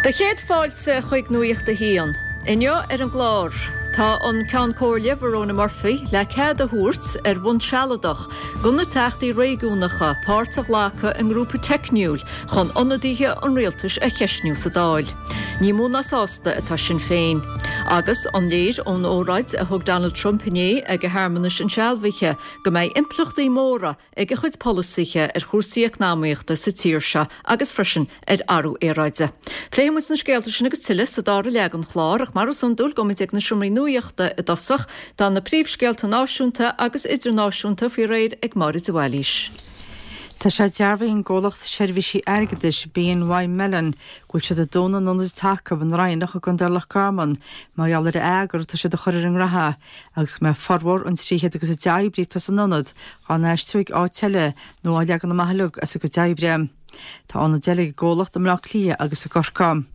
Do chéad fáilte chuig Nuacht a hAon. Inniu ar an gclár, tá an Ceann Comhairle Verona Murphy le cead a thabhairt ar bhonn sealadach do na teachtaí réigiúnacha páirt a ghlacadh i ngrúpa teicniúil chun ionadaithe an rialtais a cheistniú sa Dáil. Ní mó ná sásta atá Sinn Féin. Agus an léir ón óráid a thug Donald Trump inné ag a shearmanais insealbhaithe go mbeidh impleachtaí móra ag a chuid polasaithe ar chúrsaí eacnamaíochta sa tír seo agus freisin ar athrú aeráide. Pléifidh muid na scéalta sin agus tuilleadh sa dara leath den chlár ach mar is iondúil gabhfaimid ag na seomraí nuachta i dtosach. Tá na príomhscéalta náisiúnta agus idirnáisiúnta faoi réir ag Máire de Bhailís. Tá sé dearbhaithe ag an gcomhlacht seirbhísí airgeadais BNY Mellon go bhfuil siad ag dúnadh an ionaid atá acu i nDroighneach i gContae Loch Garman mar gheall ar an eagar atá siad a chur ar an ngraithe agus go mbeidh formhór an 310 oibrí atá san ionad á n-aistriú ag áit eile nó á leagan amach uilig as a gcuid oibre. Tá ionaid eile ag an gcomhlacht i mBleá Cliath agus i gCorcaigh.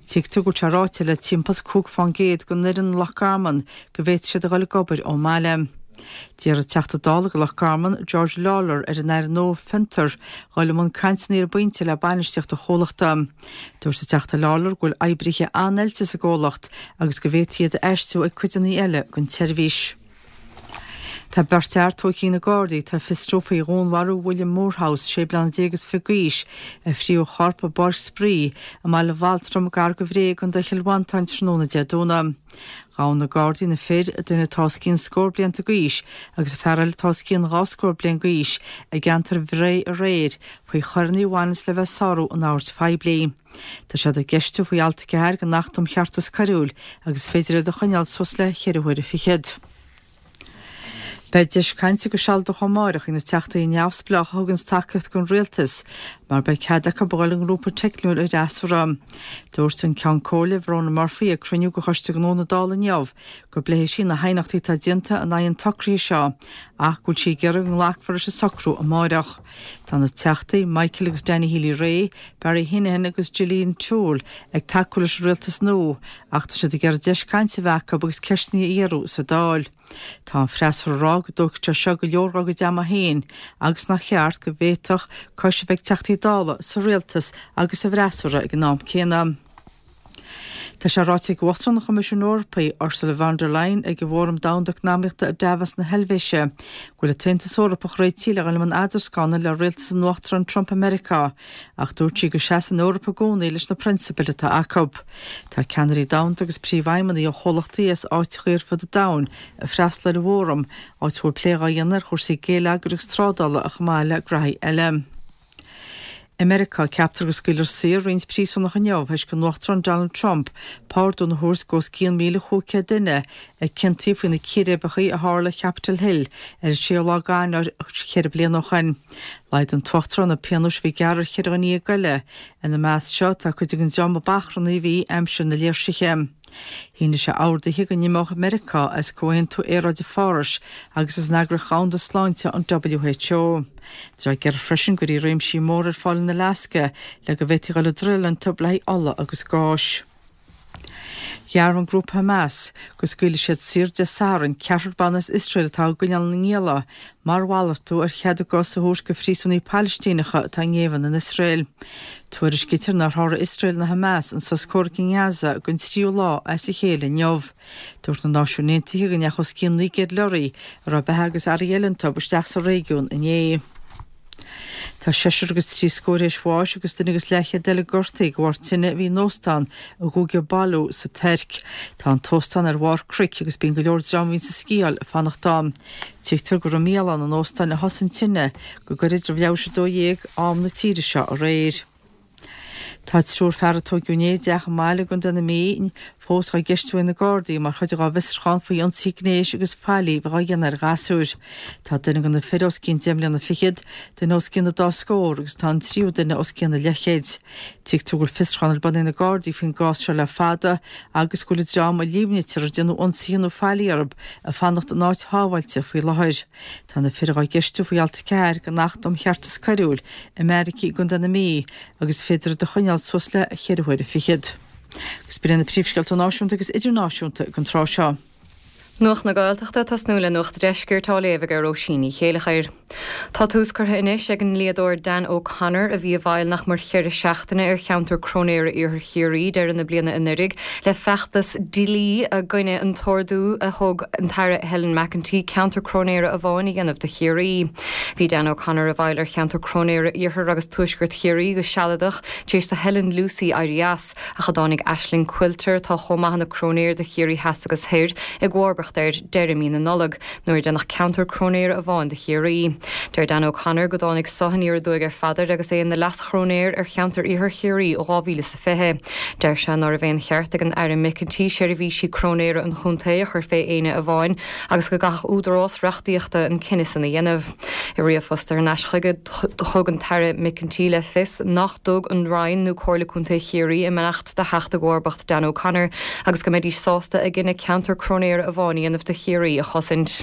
Tuigtear go bhfuil sé ráite le timpeall is 5% den fhoireann i Loch Garman go bhféadfaidh siad a dhul ag obair ón mbaile. D'iarr an Teachta Dála do Loch Garman, George Lawlor, ar an Aire nua Fiontar dhul i mbun cainteanna ar an bpointe le bainistíocht an chomhlachta. Dúirt an Teachta Lawlor go bhfuil oibrithe an-oilte sa gcomhlacht agus go bhféadfaí iad a aistriú ag cuideanna eile den tseirbhís. Tá beirt fhear tógtha ag na Gardaí atá á bhfiosrú faoi dhúnmharú William Moorhouse, sé bliana déag is fiche d'aois, a fríothadh a chorp i bpáirc spraoi i mBaile Bhaltraim gar do Bhré i gContae Chill Mhantáin tráthnóna Dé Domhnaigh. Ghabh na Gardaí na fir, duine atá os cionn scór blianta d'aois agus fear eile atá os cionn dhá scór bliain d'aois, i gceantar Bhré aréir faoi choireanna a bhaineas le bheith ag sárú an oird phoiblí. Tá siad á gceistiú faoi alt 4 den Acht um Cheartas Coiriúil agus is féidir iad a choinneáil suas le cheithre huaire fichead. Beidh deis cainte go sealadach amáireach ag na teachtaí neamhspleácha a thuganns tacaíocht don rialtas mar beidh cead acu a dhul i ngrúpa teicniúil an fhreasúra. Dúirt an Ceann Comhairle Verona Murphy ag cruinniú de Choiste Gnó na Dála inniu go bpléifidh sí na haighneachtaí atá déanta in aghaidh an tsocraithe seo ach go bhfuil sí ag iarraidh go nglacfar leis an socrú amáireach. Tá na Teachtaí Michael agus Danny Healy-Rae, Barry Heneghan agus Gillian Toal ag tacú leis an rialtas nua ach tá siad ag iarraidh deis cainte a bheith acu agus ceisteanna a iarradh sa Dáil. Tá an freasúra ag rá go dtógfaidh sé seo go leor dá gcuid ama féin agus nach cheart go bhféadfadh cois a bheith ag Teachtaí Dála sa rialtas agus sa bhfreasúra ag an am céanna. Tá sé ráite ag Uachtarán an Choimisiúin Eorpaigh, Ursula von der Leyen, ag an bhFóram Domhanda Eacnamaíochta i Davos na hEilvéise, go bhfuil an tAontas Eorpach réitithe le dhul i mbun eadarscána le rialtas an Uachtaráin Trump i Meiriceá, ach dúirt sí go seasann an Eoraip i gcónaí leis na prionsabail atá acu. Tá ceannairí domhanda agus príomhfheidhmeannaigh ó chomhlachtaí as áiteachaí ar fud an domhain ag freastal ar an bhfóram, áit a bhfuil plé dhá dhéanamh ar chúrsaí géilleagair agus trádála chomh maith le graithí eile. I Meiriceá, ceaptar go scaoilfear saor roinnt príosúnach inniu théis don Uachtarán Donald Trump pardún a thabhairt d'os cionn 1,500 duine a ciontaíodh faoi na círéibeacha a tharla ar Capitol Hill ar an séú lá d'Eanáir cheithre bliana ó shin. Laghdaigh an tUachtarán na pionóis a bhí gearrtha ar cheithre dhuine dhéag eile. Ina measc seo tá cuid den dream a b'achrannaí a bhí aimsir na léirsithe. Shínigh sé orduithe go n-imeodh Meiriceá as Comhaontú Aeráide Phárais agus as an Eagraíocht Dhomhanda Sláinte, an WHO. Tá sé ag iarraidh freisin go gcuirfí réimsí móra ar fáil in Alaska le go bhféadfaí dhul ag druileáil iontu le haghaidh ola agus gáis. Dhearbhaigh an grúpa Hamas go scaoilfidh siad saor Dé Sathairn ceathrar ban as Iosrael atá á gcoinneáil ina ngialla mar mhalartú ar chead a gcos a thabhairt do phríosúnaigh Palaistíneacha atá i ngéibheann in Iosrael. Tuairiscítear nár sháraigh Iosrael ná Hamas an sos comhraic i nGaza don tríú lá as a chéile inniu. Dúirt na Náisiúin Aontaithe go ndeachaigh os cionn 900 leoraí a raibh beatha agus earraí eile iontu isteach sa réigiún inné. Tá seisear agus trí scór théis bháis agus duine agus leathchéad eile gortaithe de bharr tine a bhí in óstán i gcúige Bolu sa Tuirc. Tá an t-óstán ar bharr cnoic agus bíonn go leor dream a bhíonns ag sciáil ag fanacht ann. Tuigtear gur i mbialann an óstáin a thosaigh an tine go gairid roimh leathuair tar éis a 12 am na tíre seo aréir. Tá triúr fear a tóigeadh inné i dteach i mbaile i gContae na Mí fós á gceistiú ag na Gardaí mar chuid dá bhfiosrúchán faoi ionsaithe gnéis agus faillí a bheith á dhéanamh ar ghasúir. Tá duine de na fir os cionn deich mbliana fichead, duine os cionn an dá scór agus tá an tríú duine os cionn a leathchéid. Tuigtear go bhfuil fiosrúchán ar bun ag na Gardaí faoin gcás seo le fada agus go bhfuil an dream a líomhnaítear ar déanadh ionsaithe nó faillí orthu ag fanacht in áit shábháilte faoi láthair. Tá na fir dhá gceistiú faoi alt 4 den Acht um Cheartas Coiriúil i mbeairicí i gContae na Mí agus is féidir iad a choinneáil suas le cheithre huaire fichead. Agus b'in iad na príomhscéalta náisiúnta agus idirnáisiúnta ag an tráth seo. Nuacht na Gaeltachta ag tosnú le Nuacht an Deiscirt á léamh ag Róisín Ní Chéileachair. Tá tús curtha anois ag an ndlíodóir Dan O'Connor, a bhí i bhfeighil nach mór cheithre seachtaine ar cheantar cróinéara Iarthar Chiarraí deireadh na bliana anuiridh, le feachtas dlí i gcoinne an t-ordú a thug an tAire Helen McEntee ceantar cróinéara amháin a dhéanamh de Chiarraí. Bhí Dan O'Connor i bhfeighil ar cheantar cróinéara Iarthar agus Tuaisceart Chiarraí go sealadach tar éis do Helen Lucey éirí as. ach a dtáinig Aisling Quilter, atá chomh maith ina cróinéir do Chiarraí Theas agus Thoir, i gcomharbacht air deireadh mí na Nollag, nuair a déanadh ceantar cróinéara amháin de Chiarraí. Deir Dan O'Connor go dtáinig seo aniar aduaidh ar Pheadar agus é ina leas-chróinéir ar cheantar Iarthar Chiarraí ó 2020. Deir sé ná raibh aon cheart ag an Aire McEntee seirbhísí cróinéara an chontae a chur fé éinne amháin agus go gcaithfeadh údarás reachtaíochta an cinneadh san a dhéanamh. I ríomhphost thar n-ais chuige, thug an tAire McEntee le fios nach dtug an Roinn nó Comhairle Contae Chiarraí a mbeannacht do theacht i gcomharbacht Dan O'Connor agus go mbeidís sásta a gcinneadh ceantar cróinéara amháin a dhéanamh do Chiarraí a chosaint.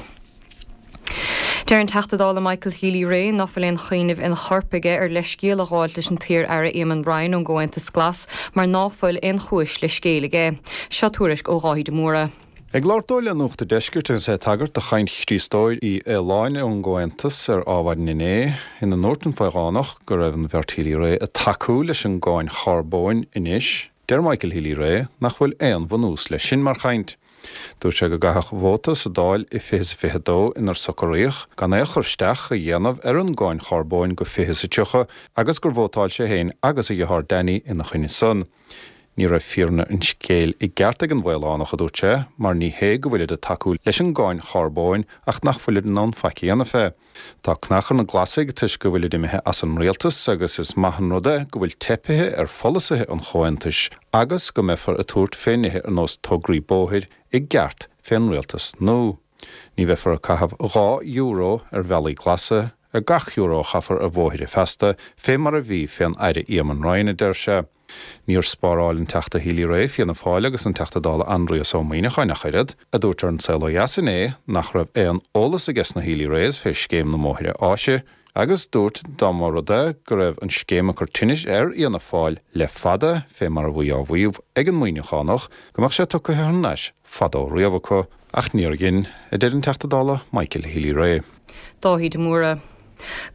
Deir an Teachta Dála Michael Healy-Rae ná fuil aon chuimhneamh ina chorp aige ar leithscéal a ghabháilt leis an t-iar-aire Eamon Ryan ón gComhaontas Glas mar ná fuil aon chúis le scéal aige. Seo tuairisc ó Dháithí de Mórdha. Ag labhairt dó le Nuacht a' Deiscirt agus é ag tagairt do chaint Chríostóir Uí Fhaoláin ón gComhaontas ar Ádhmhaidin inné, ina ndúirt an Faoghánach go raibh an bheirt Healy-Rae ag tacú leis an gcáin charbóin anois, deir Michael Healy-Rae nach bhfuil aon bhunús leis sin mar chaint. Dúirt sé go gcaithfeadh vóta sa Dáil i 2022 inar socraíodh gan aon chur isteach a dhéanamh ar an gcáin charbóin go 2030 agus gur vótáil sé féin agus a dheartháir Danny ina choinne san. Ní raibh fírinne an scéil i gceart ag an bhFaolánach, a dúirt sé, mar ní hé go bhfuilid ag tacú leis an gcáin charbóin ach nach bhfuilid in ann faic a dhéanamh fé. Tá cnach ar na Glasaigh toisc go bhfuilid imithe as an rialtas agus is maith an rud é go bhfuil teipithe ar pholasaithe an Chomhaontais agus go mbeifear ag tabhairt fé nithe ar nós tograí bóthair i gceart fén rialtas nua. Ní bheifear ag caitheamh €2 ar bhealaí glasa ar gach euro a chaithfear ar bhóithre feasta, fé mar a bhí fén Aire Eamon Ryan, a deir sé. Níor spáráil an Teachta Healy-Rae Fianna Fáil agus an Teachta Dála Aindrias Ó Muimhneacháin ach oiread, a dúirt ar An Saol Ó Dheas inné nach raibh aon eolas aige sna Healy-Raes fé scéim na mbóithre áise agus dúirt dá mba rud é go raibh an scéim ag cur tinnis ar Fhianna Fáil le fada, fé mar a bhí á mhaíomh ag an Muimhneachánach, go mbeadh sé tugtha thar n-ais fadó riamh acu. Ach níor dhein, a deir an Teachta Dála Michael Healy-Rae. Dáithí de Mórdha.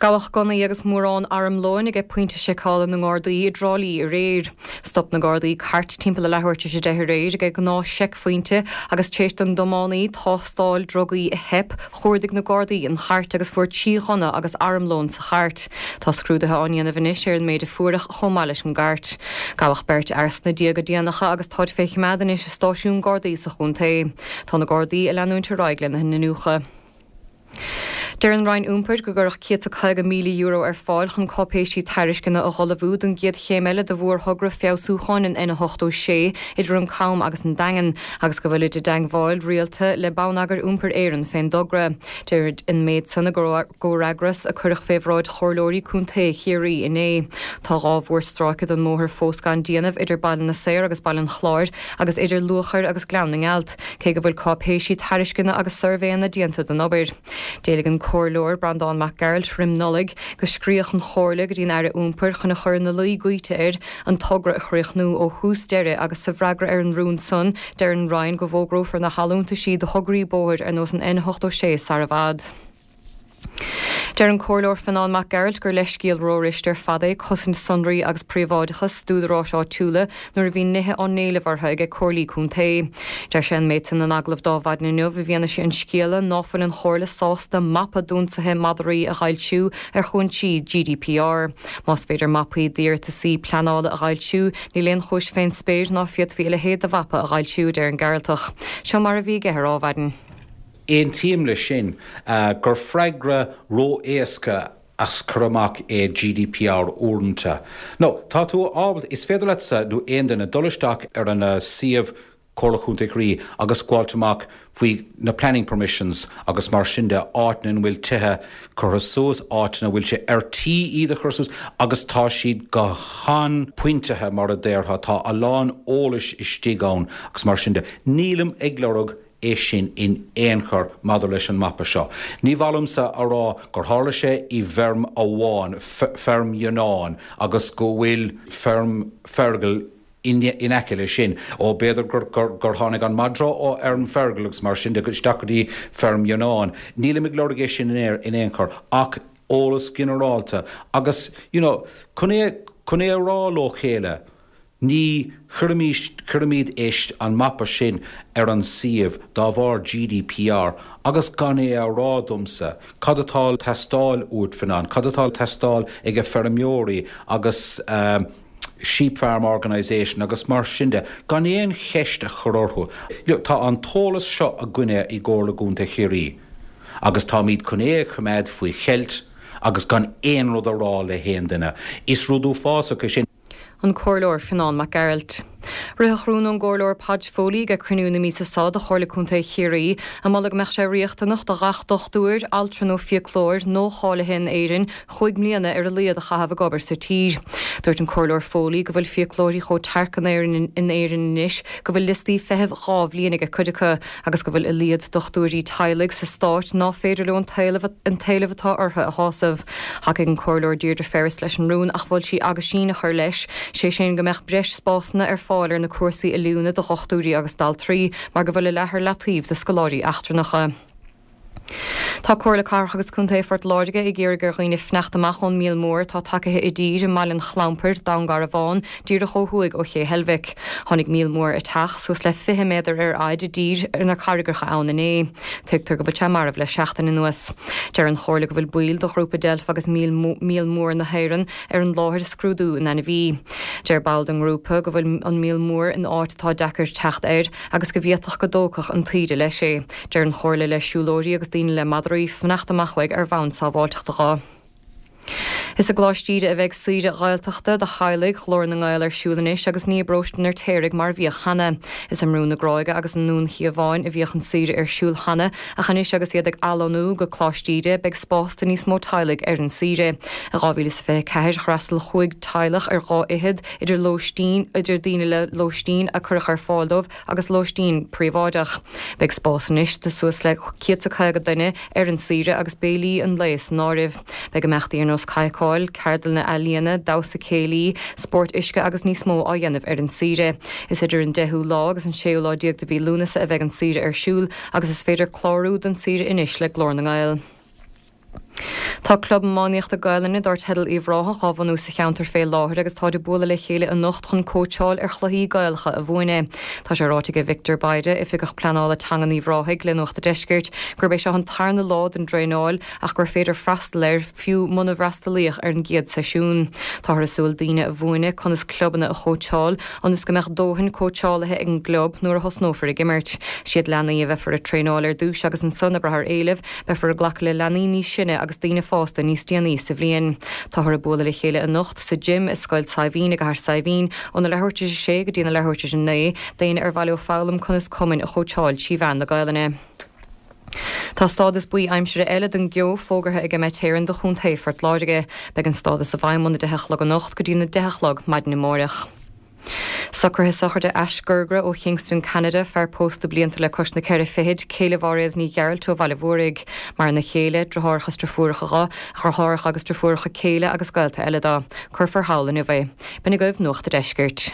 Gabhadh gunnaí agus mórán armlóin aige pointe seiceála na nGardaí i dTrá Lí aréir. Stop na Gardaí cairt timpeall a leathuair tar éis a 10 aréir aige gnáth seicphointe agus tar éis don dtiománaí tástáil drugaí a theip, chuardaigh na Gardaí an chairt agus fuair 3 ghunna agus armlón sa chairt. Tá scrúduithe á ndéanamh anois ar an méid a fuaireadh chomh maith leis an gcairt. Gabhadh beirt fhear sna déaga déanacha agus táid fé choimeád anois i stáisiún Gardaí sa chontae. Tá na Gardaí ag leanúint ar aghaidh lena n-iniúchadh. Deir an Roinn Iompair go gcuirfeadh €150,000 ar fáil chun cáipéisí tairisceana a dh'ullmhú don gcéad chéim eile de mhórthogra feabhsúcháin an N86 idir an Cam agus an Daingean agus go bhfuilid i dteagmháil rialta le Bonneagar Iompair Éireann fén dtogra. Deirid an méid san i gcomhfhreagras a cuireadh fé bhráid Chomhairleoirí Contae Chiarraí inné. Tá 2 mhórstráice den mbóthar fós gan déanamh idir Baile na Saor agus Baile an Chláir agus idir Luachair agus Gleann na nGealt. Cé go bhfuil cáipéisí tairisceana agus suirbhéanna déanta den obair. D'éiligh an Comhairleoir Breandán Mac Gearailt roim Nollaig go scríobhadh an Chomhairle go dtí an Aire Iompair chun a chur ina luí goíte air an togra a chríochnú ó thús deireadh agus sa bhfreagra ar an rún san deir an Roinn go bhfógrófar na hallúntaisí do thograí bóthair ar nós an N86 sara bhfad. Deir an Comhairleoir Fionán Mac Gearailt gur leithscéal rófhuirist ar fad é cosaint sonraí agus príobháideachas d'údaráis áitiúla nuair a bhíonn nithe á n-éileamh orthu aige comhairlí contae. Deir sé an méid san in agallamh d'Adhmhaidin inniu i bhfianaise an scéala ná fuil an Chomhairle sásta mapa d'ionsaithe madraí a dh'fhoilsiú ar chúinsí GDPR. Más féidir mapaí d'iarratasaí pleanála a dh'fhoilsiú, níl aon chúis fén spéir ná féadfaí a leithéid de mhapa a dh'fhoilsiú, a deir an Gearaltach. Seo mar a bhí aige ar Adhmhaidin. Aontaím leis sin gur freagra ró-éasca as cur amach é GDPR uaireanta. Nó, tá tú ábalta, is féidir leatsa nó aon duine dul isteach ar an suíomh Comhairle Chontae Chiarraí agus gabháilt amach faoi na planning permissions agus mar sin de, áiteanna ina bhfuil tithe curtha suas, áiteanna a bhfuil sé ar tí iad a chur suas agus tá siad go han-phointithe mar a déarfá, tá a lán eolais istigh ann agus mar sin de. Nílim ag lorg é sin in aon chor maidir leis an mapa seo. Ní mhaith liomsa a rá gur tharla sé i bhfeirm amháin, feirm Fhionáin, agus go bhfuil feirm Fergal. In aice leis sin, ó b'fhéidir gur tháinig an madra ó fheirm Fergal agus mar sin de isteach go dtí feirm Fhionáin. Nílim ag lorg é sin in aon chor ach eolas ginearálta agus you know chun é chun é a rá leo chéile ní chuirimís cuirimid é an mapa sin ar an suíomh dá bharr GDPR agus gan é a rá domsa cad atá teastáil uait Fionán, cad atá teastáil ag feirmeoirí agus eh Sheep Farm Organisation agus mar sin de, gan aon cheist a chur orthu. Look, tá an t-eolas seo againne i gComhairle Contae Chiarraí agus táimid chun é a choimeád faoi cheilt agus gan aon rud a rá le haon duine. Is rud uafásach é sin. An Comhairleoir Fionán Mac Gearailt. Ritheadh rún ón gComhairleoir Podge Foley ag cruinniú na míosa seo de Chomhairle Contae Chiarraí ag moladh go mbeadh sé riachtanach do ghach dochtúir, altra nó fiaclóir nua-cháilithe in Éirinn chúig mbliana ar a laghad a chaitheamh ag obair sa tír. Dúirt an Comhairleoir Foley go bhfuil fiaclóirí chomh tearc in Éirinn in Éirinn anois go bhfuil liostaí feithimh 2 bhliain ag cuid acu agus go bhfuil a laghad dochtúirí teaghlaigh sa stát ná féidir leo an t-éileamh atá orthu a shásamh. Thacaigh an Comhairleoir Deirdre Ferris leis an rún ach mhol sí aguisín a chur leis, sé sin go mbeadh breis spásanna ar fáil ar na cúrsaí oiliúna do dhochtúirí agus d'altraí mar go bhfuil a leath ar leataobh do scoláirí eachtrannacha. Tá Comhairle Cathrach agus Contae Phort Láirge ag iarraidh ar dhaoine fanacht amach ón míol mór atá tagaithe i dtír i mBaile an Chlampair, Dún Garbhán, díreach ó thuaidh ó Ché Heilbhic. Tháinig míol mór eiteach, suas le 20 méadar ar fhaid, i dtír ar na carraigeacha ann inné. Tuigtear go bhfuil sé marbh le seachtain anuas. Deir an Chomhairle go bhfuil baill de ghrúpa Deilf agus Míol Míol Mór na hÉireann ar an láthair ag scrúdú an ainmhí. Deir ball den ngrúpa go bhfuil an míol mór in áit atá deacair teacht air agus go bhféadfadh go dtógfadh an taoide leis é. Deir an Chomhairle le siúlóirí agus daoine le madraí fanacht amach uaidh ar bhonn sábháilteachta dho. Is i gColáiste Íde a bheidh saoire Ghaeltachta do theaghlaigh Ghlór na nGael ar siúl anois agus ní i bParóiste an Fheirtéaraigh mar a bhíodh cheana. Is i mBrú na Gráige agus i nDún Chíomháin a bhíodh an saoire ar siúl cheana ach anois agus iad ag athlonnú go Coláiste Íde beidh spás do níos mó teaghlaigh ar an saoire. I 2024 d'fhreastail chúig teaghlach ar dhá fhichead idir lóistín idir daoine le lóistín a cuireadh ar fáil dóibh agus lóistín príobháideach. Beidh spás anois do suas le 150 duine ar an saoire agus béilí an lae san áireamh. Beidh imeachtaí ar nós cadhcáil, ceardlanna ealaíona, damhsa céilí, spórt uisce agus níos mó á dhéanamh ar an saoire. Is idir an deichiú lá agus an séú lá déag de mhí Lúnasa a bheidh an saoire ar siúl agus is féidir clárú don saoire anois le Glór na nGael. Tá club iománaíochta Gaelainne dar teideal Uíbh Ráthach á bhunú sa cheantar fé láthair agus táid ag bualadh le chéile anocht chun cóitseáil ar chluichí Gaelacha a mhúineadh. Tá sé ráite ag Victor Bayda, Oifigeach Pleanála Teangan Uíbh Ráthaigh le Nuacht a' Deiscirt, gurb é seo an tarna lá den dtraenáil ach gur féidir freastal air fiú muna bhfreastalaíodh ar an gcéad seisiún. Táthar ag súil daoine a mhúineadh conas clubanna a chóitseáil ionas go mbeadh dóthain cóitseálaithe ag an gclub nuair a thosnófar ag imirt. Siad leanaí a bheifear ag traenáil ar dtús agus ansan ag brath ar éileamh, Beifear ag glacadh le leanaí níos sine agus daoine fásta níos déanaí sa bhliain. Táthar ag bualadh le chéile anocht sa gym i Scoil Saidhbhín i gCathair Saidhbhín óna leathuair tar éis a sé go dtí na leathuair tar éis a 9 d'éinne ar mhaith leo foghlaim conas cumainn a chóitseáil trí mheán na Gaelainne. Tá stádas buí aimsire eile don gceo fógartha ag Met Éireann do Chontae Phort Láirge. Beidh an stádas i bhfeidhm óna 10 a chlog anocht go dtí na 10 a chlog maidin amáireach. Socruithe sochraide Ash Girgrah ó Kingston, Ceanada, fear pósta blianta le cois na ceithre fichid, céile Mháiréad Ní Ghearailt ó Bhaile Mhúraigh. Maireann a chéile, driotháireacha is driofúracha dho, a dhriotháireacha agus driofúracha céile agus gaolta eile dó. Cuirfear thall inniu é. B'in agaibh Nuacht a' Deiscirt.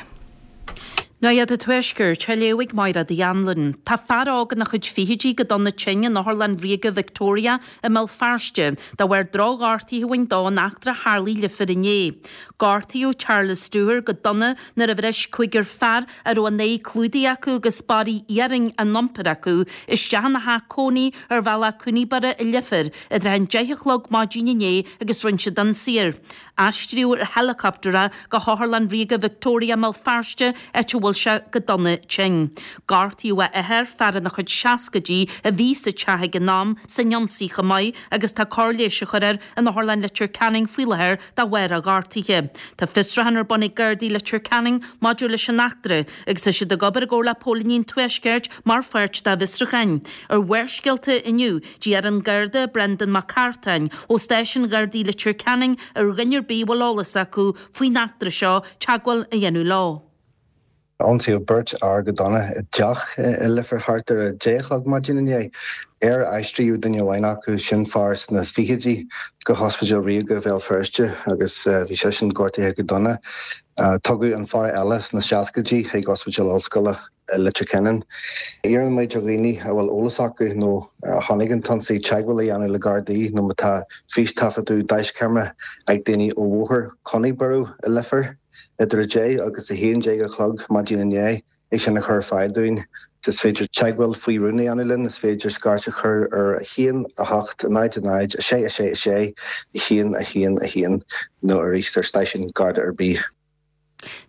Nuacht an Tuaiscirt, á léamh ag Máire Uí Anluain. Tá fear óg ina chuid fichidí go dona tinn in Otharlann Ríoga Victoria i mBéal Feirste de bharr drochghortaithe a bhain dó in eachtra a tharlaigh i Leifear inné. Gortaíodh Charles Dooher go dona nuair a bhris cúigear fear a raibh a n-aghaidh clúdaithe acu agus barraí iarainn á n-iompar acu isteach ina theach cónaí ar bhealach Cooneyburgh i Leifear i dtrátha an deich a chlog maidin inné agus rinne siad ionsaí air. Aistríodh ar heileacaptar é go hOtharlann Ríoga Victoria i mBéal Feirste áit a bhfuil sé go dona tinn. Gortaíodh a athair, fear ina chuid seascaidí a bhí sa teach ag an am, san ionsaí chomh maith agus tá cóir leighis á chur air in Otharlann Leitir Ceanainn faoi láthair de bharr a ghortaithe. Tá fiosrúchán ar bun ag Gardaí Leitir Ceanainn maidir leis an eachtra agus tá siad ag obair i gcomhar le póilíní an Tuaiscirt mar pháirt dá bhfiosrúcháin. Ar Bharrscéalta inniu, d'iarr an Garda Brendan Mac Cartáin ó Stáisiún Ghardaí Leitir Ceanainn ar dhuine ar bith a bhfuil eolas acu faoin eachtra seo teagmháil a dhéanamh leo. Ionsaíodh beirt fhear go dona i dteach i Leifear thart ar a 10 a chlog maidin inné. Ar aistríodh duine amháin acu, sin fear sna fichidí, go hOspidéal Ríoga Bhéal Feirste agus bhí seisean gortaithe go dona. Tugadh an fear eile sna seascaidí chuig Ospidéal Ollscoile Leitir Ceanainn. Iarrann muid ar dhaoine a bhfuil eolas acu nó a chonaic an t-ionsaí teagmháil a dhéanamh le Gardaí nó má tá fístaifeadadh daischeamara ag daoine ó Bhóthar Conaiborough i Leifear idir 10 agus 11 a chlog maidin inné. é sin a chur ar fáil dúinn. Is féidir teagmháil faoi rún a dhéanamh linn, is féidir scairt a chur ar 1 8 0 0 6 6 6 1 1 1 nó arís ar stáisiún Garda ar bith.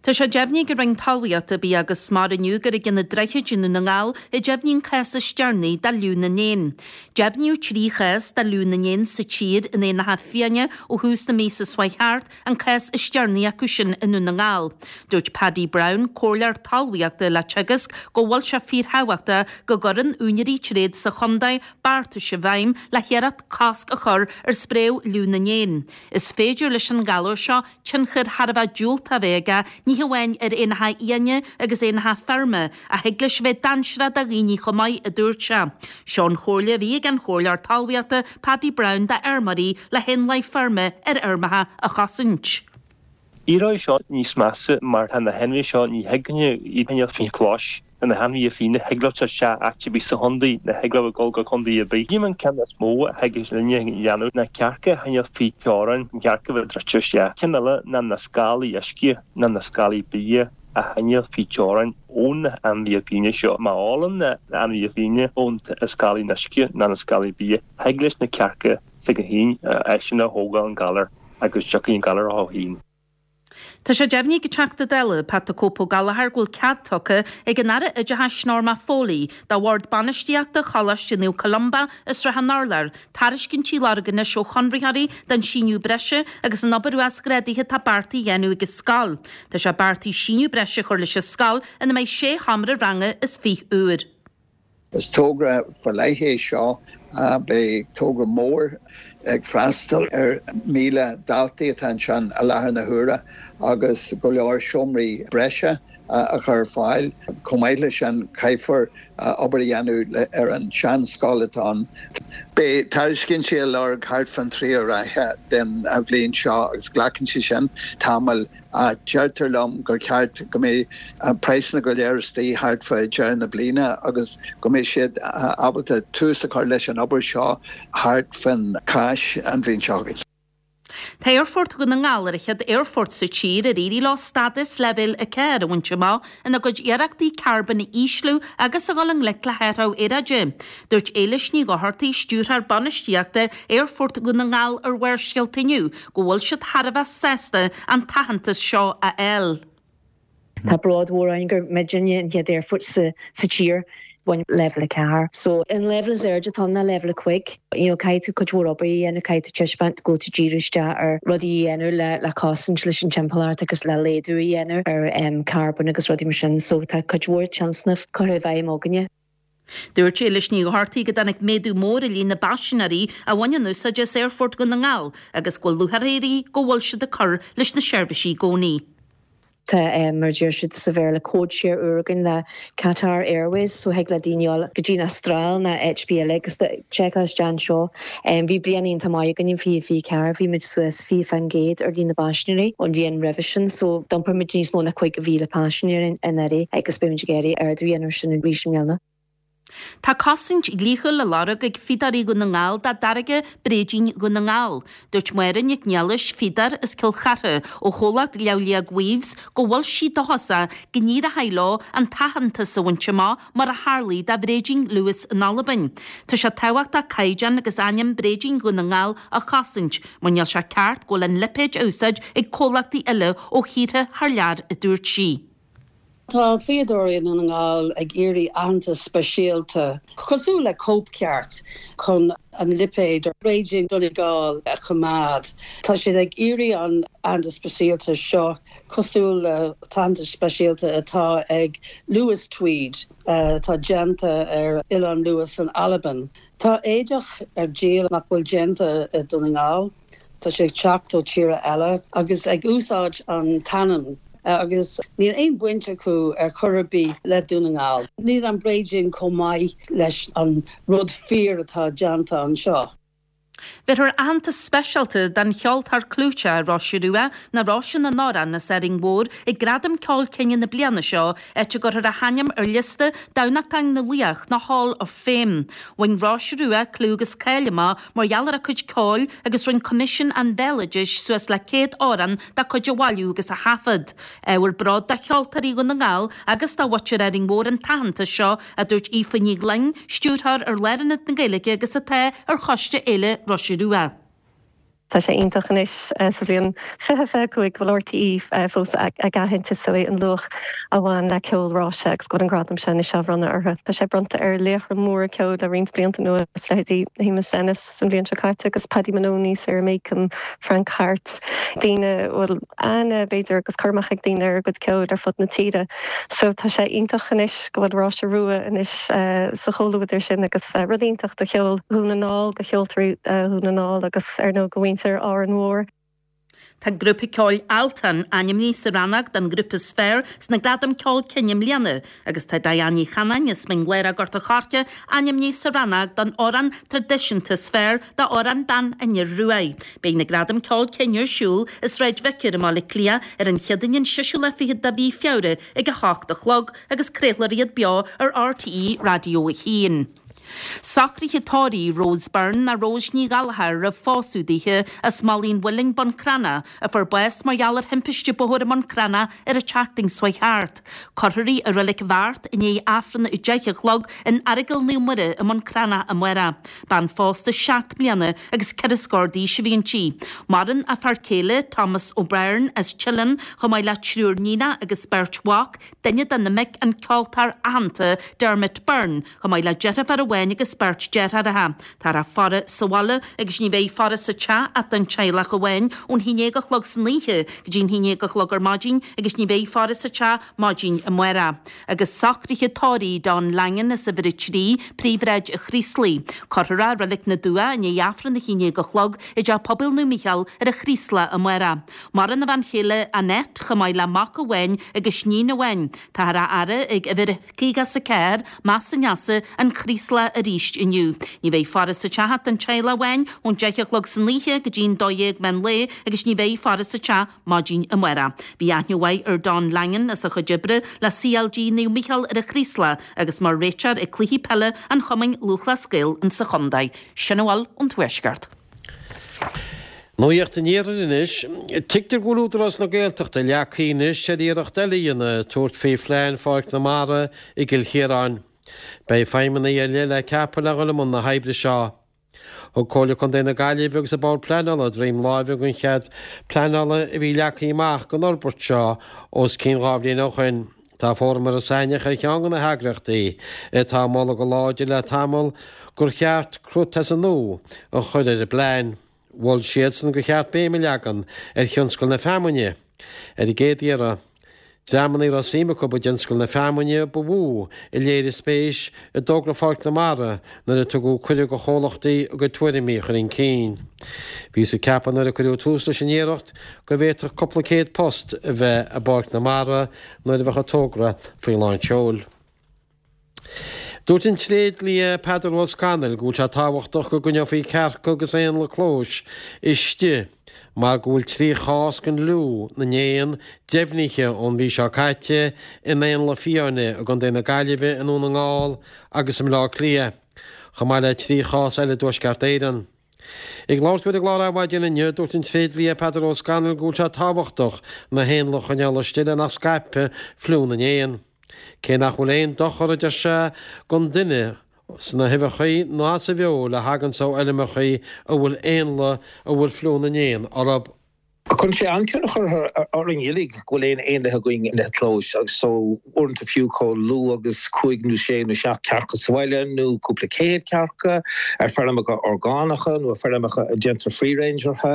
Tá sé deimhnithe ag an Roinn Talmhaíochta, Bia agus Mara inniu gur ag Ionad Droichid i nDún na nGall a deimhníodh an cás is deireanaí de fhliú na n-éan. Deimhníodh 3 chás de fhliú na n-éan sa tír in éanacha fiáine ó thús na míosa seo chuaigh thart, an cás is deireanaí acu sin i nDún na nGall. Dúirt Paddy Browne, Comhairleoir Talmhaíochta le Teagasc, go bhfuil sé fíorthábhachtach go gcuireann úinéirí tréad sa chontae beartais i bhfeidhm le hiarracht cosc a chur ar spréadh fhliú na n-éan. Is féidir leis an ghalar seo tionchar thar a bheith diúltach a bheith aige ní hamháin ar éanacha fiáine agus éanacha feirme ach thig leis a bheith dainséarach do dhaoine chomh maith, a dúirt sé. Seo an chomhairle a bhí ag an Chomhairleoir Talmhaíochta Paddy Browne do fheirmeoirí le héanlaith feirme ar fheirmeacha a chosaint. Éireoidh seo níos measa mar tá na hainmhithe seo, ní thig leo iad a choinneáil faoi chlós, tá na hainmhithe fiáine, thig leo teacht isteach áit ar bith sa chontae, nó thig leo a dhul go contae ar bith. An ceann is mó a thig linne a dhéanamh ná cearca a choinneáil faoi theorainn, an chearc a bheith druidte isteach. Ceann eile ná na scálaí uisce, ná na scálaí bia a choinneáil faoi theorainn ó na hainmhithe fiáine seo. Má ólann na hainmhithe fiáine ó na scálaí uisce ná na scálaí bia, thig leis na cearca s'aige féin eisean a thógáil an galar agus tiocfaidh an galar orthu féin. Tá sé deimhnithe ag an Teachta Dála, Pat the Cope Ó Gallchóir go bhfuil cead tugtha ag an Aire Oideachais Norma Foley do Bhord Bainistíochta Choláiste Naomh Columba i Srath an Urláir tairiscintí a lorg anois ó chonraitheoirí don síneadh breise agus an obair uasghrádaithe atá beartaithe a dhéanamh ag an scoil. Tá sé beartaithe síneadh breise a chur leis an scoil ina mbeidh sé sheomra ranga is fich úr. Is togra faoi leith é seo. Beidh togra mór ag freastal ar 1,000 daltaí atá anseo i láthair na huaire agus go leor seomraí breise a chur ar fáil. Chomh maith leis sin, caithfear obair a dhéanamh ar an seanscoil atá ann. Beidh tairiscintí á lorg thart fán tríú ráithe den bhliain seo agus glacann sé sin tamall. Ach deirtear liom gur cheart go mbeidh praghsanna go léir istigh thart fá deireadh na bliana agus go mbeidh siad ábalta tús a chur leis an obair seo thart fán Cháisc an bhliain seo chugainn. Tá Aerfort Dhún na nGall ar an chéad aerfort sa tír ar éirigh leo stádas Leibhéal 4 a bhaint amach ina gcuid iarrachtaí carbón a ísliú agus a dhul i ngleic le hathrú aeráide. Dúirt Éilis Ní Dhochartaigh, Stiúrthóir Bainistíochta Aerfort Dhún na nGall ar Bharrscéalta inniu go bhfuil siad thar a bheith sásta an t-aitheantas seo a fháil. Tá bród mhór orainn gur muidinne an chéad aerfort sa tír a bhain Leibhéal 4. So an leibhéal is airde atá ann ná Leibhéal 5. You know caithfidh tú cuid mhór obair a dhéanamh, caithfidh tú taispeáint go bhfuil tú díriú isteach ar rudaí a dhéanamh le le cosaint leis an timpeallacht agus le laghdú a dhéanamh ar em carbón agus rudaí mar sin. So tá cuid mhór tionscnamh curtha i bhfeidhm againne. Dúirt Éilis Ní Dhochartaigh go dtáinig méadú mór i líon na bpaisinéirí a bhaineann úsáid as Aerfort Dhún na nGall agus go bhfuil lúcháir uirthi go bhfuil siad ag cur leis na seirbhísí i gcónaí. Tá, mar a deir siad sa Bhéarla, codeshare úr againn le Qatar Airways so thig le daoine dul go dtí an Astráil nó áit ar bith eile agus seiceáil isteach anseo. Bhí bliain iontach maith againn in 2024, bhí muid suas 20% ar líon na bpaisinéirí ón bhliain roimhe sin so d'iompair muid níos mó ná 50,000 paisinéir anuraidh agus beidh muid ag iarraidh ardú a dhéanamh ar sin arís i mbliana. Tá cosaint dhlíthiúil á lorg ag Fíodóirí Dhún na nGall dá dtáirge Bréidín Dhún na nGall. Dúirt Máire Nic Niallais, fíodóir as Cill Chartha, ó chomhlacht Leamhliag Weaves, go bhfuil sí dóchasach go n-éireoidh leo an t-aitheantas a bhaint amach mar a tharlaigh do Bhréidín Lewis in Albain. Tá sé tábhachtach caighdeán agus ainm Bréidín Dhún na nGall a chosaint mar níl sé ceart go bhfuil an lipéad á úsáid ag comhlachtaí eile ó thíortha thar lear, a dúirt sí. Tá fíodóirí i nDún na nGall ag iarraidh aitheantas speisialta, cosúil le cóipcheart, chun an lipéad Bréidín Donegal a choimeád. Tá siad ag iarraidh an aitheantas speisialta seo, cosúil le t-aitheantas speisialta atá ag Lewis Tweed, atá déanta ar Oileán Lewis in Albain. Tá éadach ar díol nach bhfuil déanta i Dún na nGall. Tá sé ag teacht ó tíortha eile agus ag úsáid an t-ainm. Agus níl aon bhaint acu ar chor ar bith le Dún na nGall. Níl an bréidín chomh maith leis an rud fíor atá déanta anseo. Bhéarfar aitheantas speisialta don cheoltóir clúiteach Róise Rua, nó Róise na nAmhrán as Árainn Mhór, ag Gradaim Ceoil Cine na bliana seo, áit a gcuirfear a hainm ar liosta Dámhachtain na Laoch nó Hall of Fame. Bhain Róise Rua clú agus cáil amach mar gheall ar a cuid ceoil agus rinne Coimisiún an Bhéaloidis suas le 100 amhrán dá cuid a bhailiú agus a thaifead. Ábhar bróid do Cheoltóirí Dhún na nGall agus do mhuintir Árainn Mhór an t-aitheantas seo, a dúirt Aoife Ní Ghlinn, Stiúrthóir ar Lárionad na Gaeilge agus atá ar Choiste Fhéile Róise Rua. Tá sé iontach anois sa bhliain 2025 go bhfuil RTÉ fós ag aithint is dóigh an luach a bhain le ceol Róise agus go bhfuil an gradam seo anois á bhronnadh orthu. Tá sé bronnta ar laochra móra ceoil le roinnt blianta anuas, leithéidí Shéamus Ennis an bhliain seo caite agus Paddy Moloney, Sarah Makem, Frank Harte, daoine a bhfuil aithne b'fhéidir agus cur amach ag daoine ar a gcuid ceoil ar fud na tíre. So tá sé iontach anois go bhfuil Róise Rua anois sa chomhluadar sin agus rud iontach do cheol Dhún na nGall, do cheoltóirí Dhún na nGall agus ar ndóigh do mhuintir Árainn Mhór. Tá grúpa ceoil Altan ainmnithe sa rannóg don ghrúpa is fearr sna Gradaim Ceoil Cine i mbliana agus tá Diane Ní Chanáin as Mín Lárach Gort a' Choirce ainmnithe sa rannóg don amhrán traidisiúnta is fearr d'amhrán Bean an Fhir Ruaidh. Beidh na Gradaim Ceoil Cine ar siúl i Sráid Vicar i mBaile Átha Cliath ar an Chéadaoin an seisiú lá fichead de mhí Feabhra ag 8 a chlog agus craolfar iad beo ar RTÉ Raidió 1. Socruithe tórraimh Rose Byrne nó Rose Ní Ghallchóir roimh phósadh daoithe as Malaidh an Mhuilinn, Bun Cranncha, a fuair bás mar gheall ar thimpiste bóthair i mBun Cranncha ar an tseachtain seo chuaigh thart. Cuirfear í i Reilig Bheart i ndiaidh Aifreann a 10 a chlog in Aireagal Naomh Muire i mBun Cranncha amárach. Bean phósta 7 mbliana agus 4 scór d'aois a bhí inti. Maireann a fear céile, Thomas O'Byrne as Teileann, chomh maith le triúr níonach agus beirt mhac, duine de na mic an ceoltóir aitheanta Dermot Byrne, chomh maith le deirfiúr amháin agus beirt deartháireacha. Táthar á faire sa bhaile agus ní bheidh faire sa teach ach don teaghlach amháin ón haon déag a chlog san oíche go dtí an haon déag a chlog ar maidin agus ní bheidh faire sa teach maidin amárach. Agus socruithe tórraimh Don Langan as uimhir 3, Príomhshráid an Chraoslaigh. Cuirfear é i Reilig na dTuath i ndiaidh Aifreann a haon déag a chlog i dTeach Pobail Naomh Mícheál ar an Chraoslach amárach. Maireann a bhean chéile Annette chomh maith le mac amháin agus níon amháin. Táthar á fhaire ag uimhir 54, Más an Easa, An Chraoslach arís inniu. Ní bheidh faire sa teach ach don teaghlach amháin ón deich a chlog san oíche go dtí'n 12 meán lae agus ní bheidh faire sa teach maidin amárach. Bhí aithne mhaith ar Don Langan as a chuid oibre le CLG Naomh Mícheál ar an Chraoslach agus mar réiteoir ag cluichí peile an Chumainn Lúthchleas Gael insa chontae. Sin a bhfuil ón Tuaisceart. Nuacht an Iarthair anois. Tuigtear go bhfuil Údarás na Gaeltachta leagtha anois ar iarracht eile a dhéanamh tabhairt faoi phlean Pháirc na Mara i gCill Chiaráin. Beidh feidhmeannaigh ar leith le ceapadh le dhul i mbun na hoibre seo. Thug Comhairle Contae na Gaillimhe agus an Bord Pleanála droim láimhe don chead pleanála a bhí leagtha amach don fhorbairt seo os cionn 2 bhliain ó shoin. Tá Fóram Iorras Aithneach ar cheann de na heagraíochtaí atá ag moladh go láidir le tamall gur cheart cruth as an nua a chur ar an bplean. Mhol siadsan gur cheart béim a leagan ar thionscal na feamainne ar an gcéad iarraidh. Dreamanna a raibh suim acu i dtionscal na feamainne ba mhó a léirigh spéis i dtogra Pháirc na Mara nuair a tugadh cuireadh do chomhlachtaí a gcuid tuairimí a chur chun cinn. Bhíothas ag ceapadh nuair a cuireadh tús leis an iarracht go bhféadfadh cúpla céad post a bheith i bPáirc na Mara nuair a bheadh an togra faoi lán tseoil. Dúirt an tréidlia Peadar Ó Scanaill go bhfuil sé tábhachtach go gcoinneofaí cearca agus éanlaith clóis istigh mar go bhfuil 3 chás den fhliú na n-éan deimhnithe ón mhí seo caite in éanlaith fiáine i gContae na Gaillimhe, i nDún na nGall agus i mBleá Cliath, chomh maith le 3 chás eile i dTuaisceart Éireann. Ag labhairt dó ar an gclár Adhmhaidin inniu, dúirt an tréidlia Peadar Ó Scanaill go bhfuil sé tábhachtach na héanlaith a choinneáil istigh le nach scaipfidh fliú na n-éan. Cé nach bhfuil aon dochar, a deir sé, don duine sna huibheacha ná sa bhfeoil a thaganns ó fheilmeacha a bhfuil éanlaith a bhfuil fliú na n-éan orthu. Cuireann sé an-tionchar orainn uilig go bhfuil aon éanlaith againn ina clóis agus so uaireanta fiú chomh lú agus cúig nó sé nó seacht cearca sa bhaile nó cúpla céad cearca ar feirmeacha orgánacha nó ar feirmeacha a déantar free range orthu.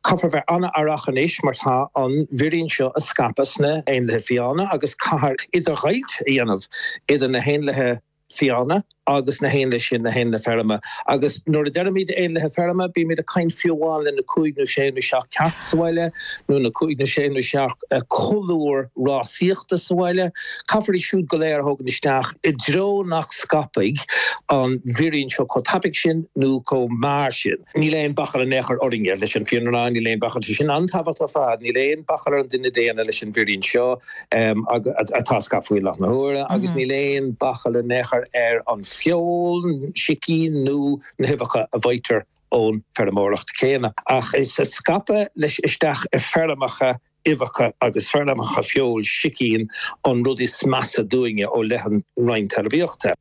Caithfear bheith an-aireach anois mar tá an vírín seo ag scaipeadh sna éanlaithe fiáine agus caithfear idirdheighilt a dhéanamh idir na héanlaithe. fiáine agus na héanlaith sin, na héanlaith feirme. Agus nuair a deirimid éanlaithe feirme, bímid ag caint fiú amháin le na cúig nó sé nó seacht cearc sa bhaile, nó na cúig nó sé nó seacht colúr rásaíochta sa bhaile. Caithfear iad siúd go léir a thógaint isteach i dtreo nach scaipfidh an virion seo chomh tapaidh sin nó chomh mear sin. Níl aon bachall in aon chor orainne leis an fírinne a rá, níl aon bachall, tá sin an-tábhachtach ar fad, níl aon bachall ar an duine daonna leis an virion seo. atá ag scaipeadh faoi láthair na huaire agus níl aon bachall in aon chor ar an feoil sicín nó na huibheacha a bhfaightear ón feirmeoireacht chéanna. Ach is scaipeadh leis isteach i feirmeacha uibheacha agus feirmeacha feoil sicín an rud is measa dúinne ó leith an Roinn Talmhaíochta.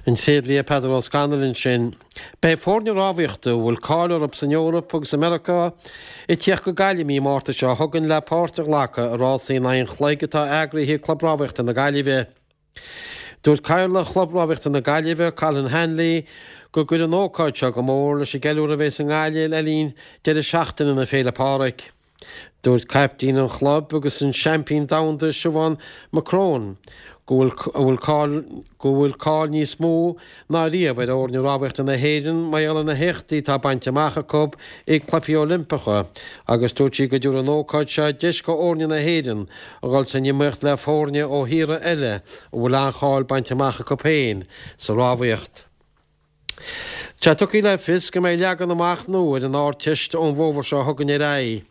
An tréidlia Peadar Ó Scanaill ansin. Beidh foirne rámhaíochta a bhfuil cáil orthu san Eoraip agus i Meiriceá ag tíocht go Gaillimh mí Márta seo chugainn le páirt a ghlacadh i rásaí in aghaidh an chloig atá eagraithe ag Club Rámhaíochta na Gaillimhe. Dúirt Cathaoirleach Chlub Rámhaíochta na Gaillimhe, Colin Hanley, go gcuirfidh an ócáid seo go mór leis an gceiliúradh a bheas i nGaillimh le linn deireadh seachtaine na Féile Pádraig. Dúirt caiptín an chlub agus an seaimpín domhanda Siobhán McCrone go bhfuil cáil go bhfuil cáil níos mó ná riamh ar fhoirne rámhaíochta na hÉireann mar gheall ar na héachtaí atá bainte amach acu ag Cluichí Oilimpeacha agus dúirt sí go dtabharfaidh an ócáid seo deis go fhoirne na hÉireann a dhul san iomaíocht le foirne ó thíortha eile a bhfuil an-cháil bainte amach acu féin sa rámhaíocht. Tá tugtha le fios go mbeidh leagan amach nua ar an Ardteist ón bhfómhar seo chugainn ar aghaidh.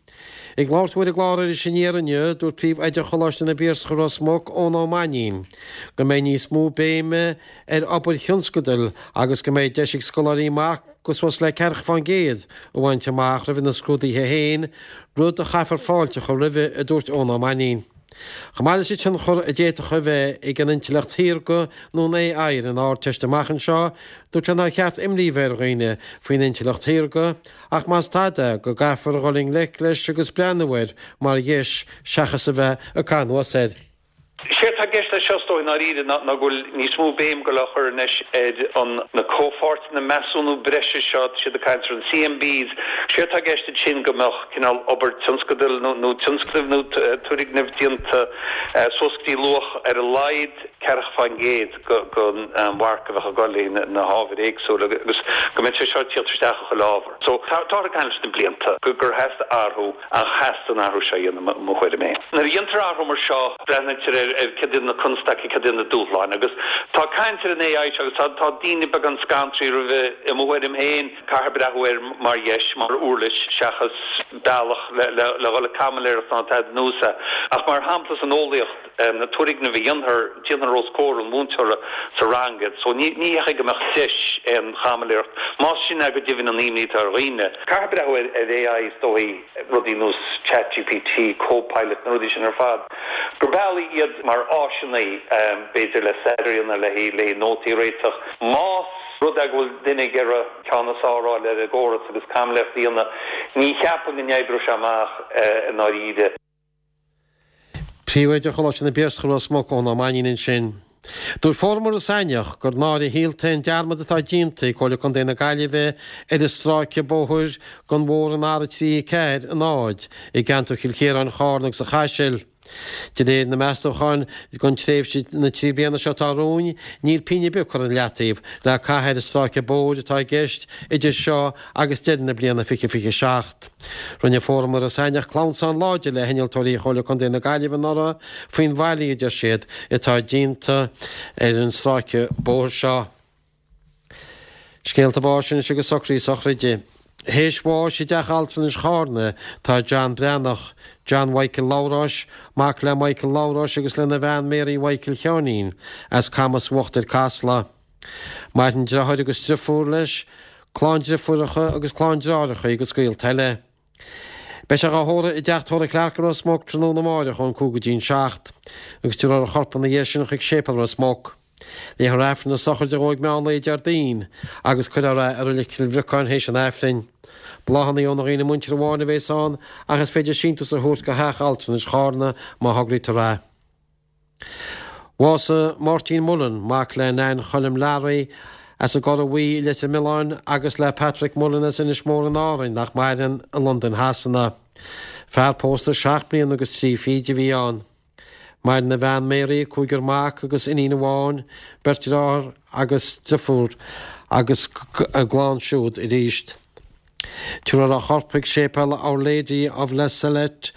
Ag labhairt dó ar an gclár Iris Aniar inniu, dúirt Príomh-Oide Choláiste na bPiarsach i Ros Muc, Eoin Ó Mainnín, go mbeidh níos mó béime ar obair thionscadail agus go mbeidh deis ag scoláirí marc de suas le ceathracha fán gcéad a bhaint amach roimh na scrúduithe féin, rud a chaithfear fáilte a chur roimhe, a dúirt Eoin Ó Mainnín. Chomh maith leis an tionchar a d'fhéadfadh a bheith ag an intleacht shaorga nó an AI ar an Ardteist amach anseo, dúirt sé nár cheart imní a bheith ar dhaoine faoin intleacht shaorga ach más tada go gcaithfear a dhul i ngleic leis agus breathnú air mar dheis seachas a bheith ag caitheamh anuas air. Séard tá i gceist leis seo, is dóigh, i ndáiríre, ná go bhfuil níos mó béim ag dul á chur anois ar an na comhpháirteanna measúnú breise seo, tá siad ag caint ar an CMBs. Séard tá i gceist ansin go mbeadh cineál obair tionscadail nó tionscnaimh nó turgnaimh déanta suas go dtí luach ar a laghad 40% den mharc a bheadh ag dul le na hábhair éagsúla agus go mbeadh sé seo ag tíocht isteach i chuile ábhar. So táthar ag caint leis na blianta gur theastaigh athrú ach theastaigh an athrú seo a dhéanamh i mo thuairim féin. Nuair a dhéantar athrú mar seo breathnaítear ar céard iad na constaicí, céard iad na dúshláin agus tá caint ar an AI seo agus tá daoine beagán scantraithe roimhe i mo thuairim féin. Caithfear breathnú air mar dheis, mar uirlis, seachas bealach le dhul ag caimiléireacht ná tada ar nós é. Ach mar shampla san eolaíocht, na turgnaimh a dhéanfar, déanfar os comhair an mhúinteora sa rang iad. So ní hé go mbeadh deis aon chaimiléireacht, más sin é go deimhin an imní atá ar dhaoine. Caithfear breathnú ar AI is dóigh, rudaí ar nós ChatGPT, Copilot, na rudaí sin ar fad, gur bealaí iad mar áiseanna, b'fhéidir le staidéar a dhéanamh, le nótaí a réiteach. Más rud é go bhfuil duine ag iarraidh ceann is fearr a fháil ar an gcóras agus caimiléireacht a dhéanamh, ní cheapaim go n-oibreoidh sé amach i ndáiríre. Príomhoide Choláiste na bPiarsach i Ros Muc, Eoin Ó Mainnín ansin. Dúirt Fóram Iorras Aithneach gur náire shaolta é an dearmad atá déanta ag Comhairle Contae na Gaillimhe ar an stráice bóthair den bhóthar an R3 4 0 i gceantar Chill Chiaráin, Charna agus an Chaisil. De réir na meastúchán don tréimhse na dtrí bliana seo atá romhainn, níl pingin ar bith curtha i leataobh le caitheamh ar an stráice bóthair atá i gceist idir seo agus deireadh na bliana 2027. Rinne Fóram Iorras Aithneach clamhsán láidir le hinnealtóirí Chomhairle Contae na Gaillimhe anuraidh faoin bhfaillí, a deir siad, atá déanta ar an stráice bóthair seo. Scéalta báis anois agus socruithe sochraide. Théis bháis i dTeach Altranais Charna tá John Breathnach, John Mhichael Labhráis, mac le Michael Labhráis agus lena bhean Mary Mhichael Sheáinín, as Camas Uachtair Casla. Maireann deartháir agus driofúr leis, clann driofúracha agus clann deartháireacha agus gaolta eile. Beidh sé dhá thórramh i dTeach Tórraimh Clarke i Ros Muc tráthnóna amáireach ón 5 go dtí an 7, agus tabharfar a chorp ina dhiaidh sin chuig Séipéal Ros Muc. Léifear Aifreann na sochraide dhó ag meán lae Déardaoin agus cuirfear é i Reilig Chill Bhriocáin théis an Aifrinn. Bláthanna ó na dhaoine muinteartha amháin a bhéas ann ach is féidir síntiús a thabhairt go Theach Altranais Charna má thograítear é. Bhásaigh Máirtín Mullen, mac le Nan Choilm Learaí as an gCora Bhuí i Leitir Mealláin agus le Patrick Mullen as Inis Mór in Árainn, nach maireann, i Londain Shasana. Fear pósta seacht mbliana agus trí fichid a bhí ann. Maireann a bhean Mary, cúigear mac agus iníon amháin, beirt deartháir agus deirfiúr agus a gclann siúd arís. Tabharfar a chorp chuig Séipéal Our Lady of La Salette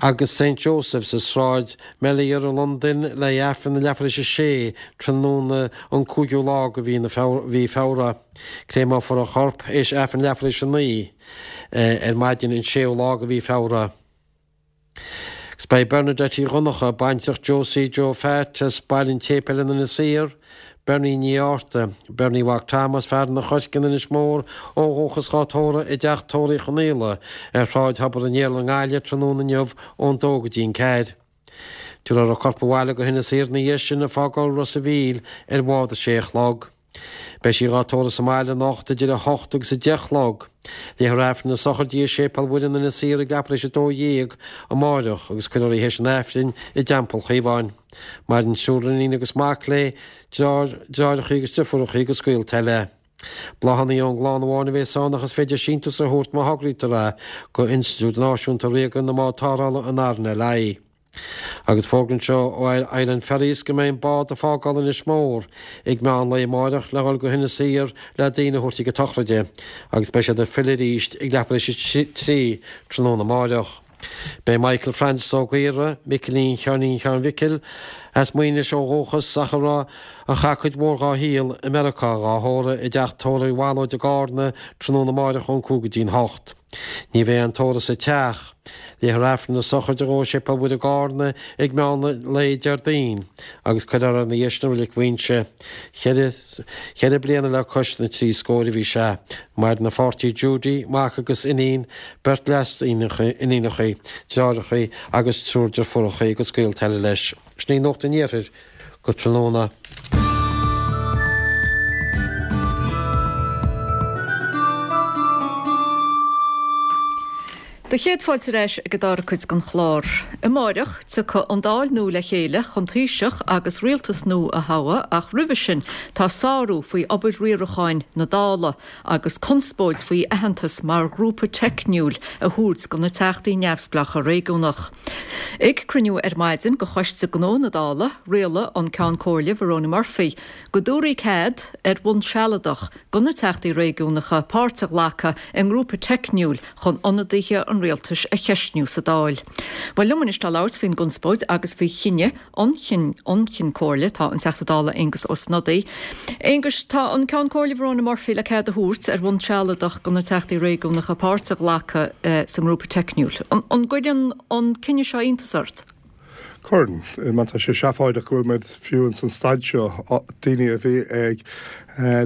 agus Saint Joseph sa Sráid Melior i Londain le hAifreann ag leathuair tar éis a sé tráthnóna an 5ú lá de mhí Feabhra. Créamófar a chorp théis Aifreann leathuair tar éis a 9 ar maidin an 6ú lá de mhí Feabhra. Agus beidh Bernadette Uí Dhonncha, baintreach Josie Joe Phat as Baile an tSéipéil in Inis Oírr, Bernie Ní Fhátharta, Bernie Mhac Tom as Fearann an Choirce in Inis Mór ó dhúchas dhá tórramh i dTeach Tórraimh Uí Chonaola ar Shráid Thobar an Iarla i nGaillimh tráthnóna inniu ón dó go dtí an ceathair. Tabharfar a corp abhaile go hInis Oírr ina dhiaidh sin ag fágáil Ros a' Mhíl ar bhád a sé a chlog. Beidh sí dhá tórramh sa mbaile anocht idir 8 agus 10 a chlog. Léifear Aifreann na sochraide i Séipéal Mhuire in Inis Oírr ag leathuair tar éis 12 amáireach agus cuirfear í théis an Aifrinn i dTeampall Chaomháin. Maireann triúr iníon agus mac léi, deartháir, deartháireacha agus deirfiúracha agus gaolta eile. Bláthanna ón gclann amháin a bhéas ann ach is féidir síntiús a thabhairt má thograítear é go Institiúid Náisiúnta Ríoga na mBád Tarrthála an RNLI. Agus fógra anseo ó Island Ferries go mbeidh an bád ag fágáil Inis Mór ag meán lae amáireach le dhul go hInis Oírr le daoine a thabhairt chuig an tsochraide agus beidh siad ag filleadh arís ag leathuair tar éis a 3 tráthnóna amáireach. Beidh Michael Francis Ó Gaora, Micilín Sheáinín Sheáin Mhicil, as Maínis ó dhúchas ach a raibh a chaith cuid mhór dhá shaol i Meiriceá dhá thórramh i dteach tórraimh Uí Bhallóid i gCárna tráthnóna amáireach ón 5 go dtí'n 8. Ní bheidh aon tórramh sa teach. Léifear Aifreann na sochraide dhó i Séipéal Mhuire i gCárna ag meán lae Déardaoin agus cuirfear é ina dhiaidh sin i Reilig Mhaínse. Cheithre cheithre bliana le cois na dtrí scóir a bhí sé. Maireann a pháirtí Judy, mac agus iníon, beirt leas-iníonacha, deartháireacha agus triúr deirfiúracha agus gaolta eile leis. Sin í Nuacht an Iarthair. Go tráthnóna. Do chéad fáilte ar ais ag an dara cuid den chlár. Amáireach, tiocfaidh an Dáil nua le chéile chun Taoiseach agus rialtas nua a thoghadh ach roimhe sin tá sárú faoi obair riaracháin na Dála agus conspóid faoi aitheantas mar ghrúpa teicniúil a thabhairt do na Teachtaí Neamhspleácha Réigiúnach. Ag cruinniú ar maidin de Choiste Gnó na Dála, rialaigh an Ceann Comhairle Verona Murphy go dtabharfaí cead, ar bhonn sealadach, do na Teachtaí Réigiúnacha páirt a ghlacadh i ngrúpa teicniúil chun ionadaithe an rialtais a cheistniú sa Dáil. Bhuel, liom anois le labhairt faoin gconspóid agus faoi chinneadh an Chinn Comhairle tá an Teachta Dála Aengus Ó Snodaigh. Aengus, tá an Ceann Comhairle Verona Murphy le cead a thabhairt ar bhonn sealadach do na Teachtaí Réigiúnacha páirt a ghlacadh sa ngrúpa teicniúil. An gcuireann an cinneadh seo iontas ort? Cuireann. Mar tá sé seafóideach go bhfuil muid fiú ins an staid seo, daoine a bhí ag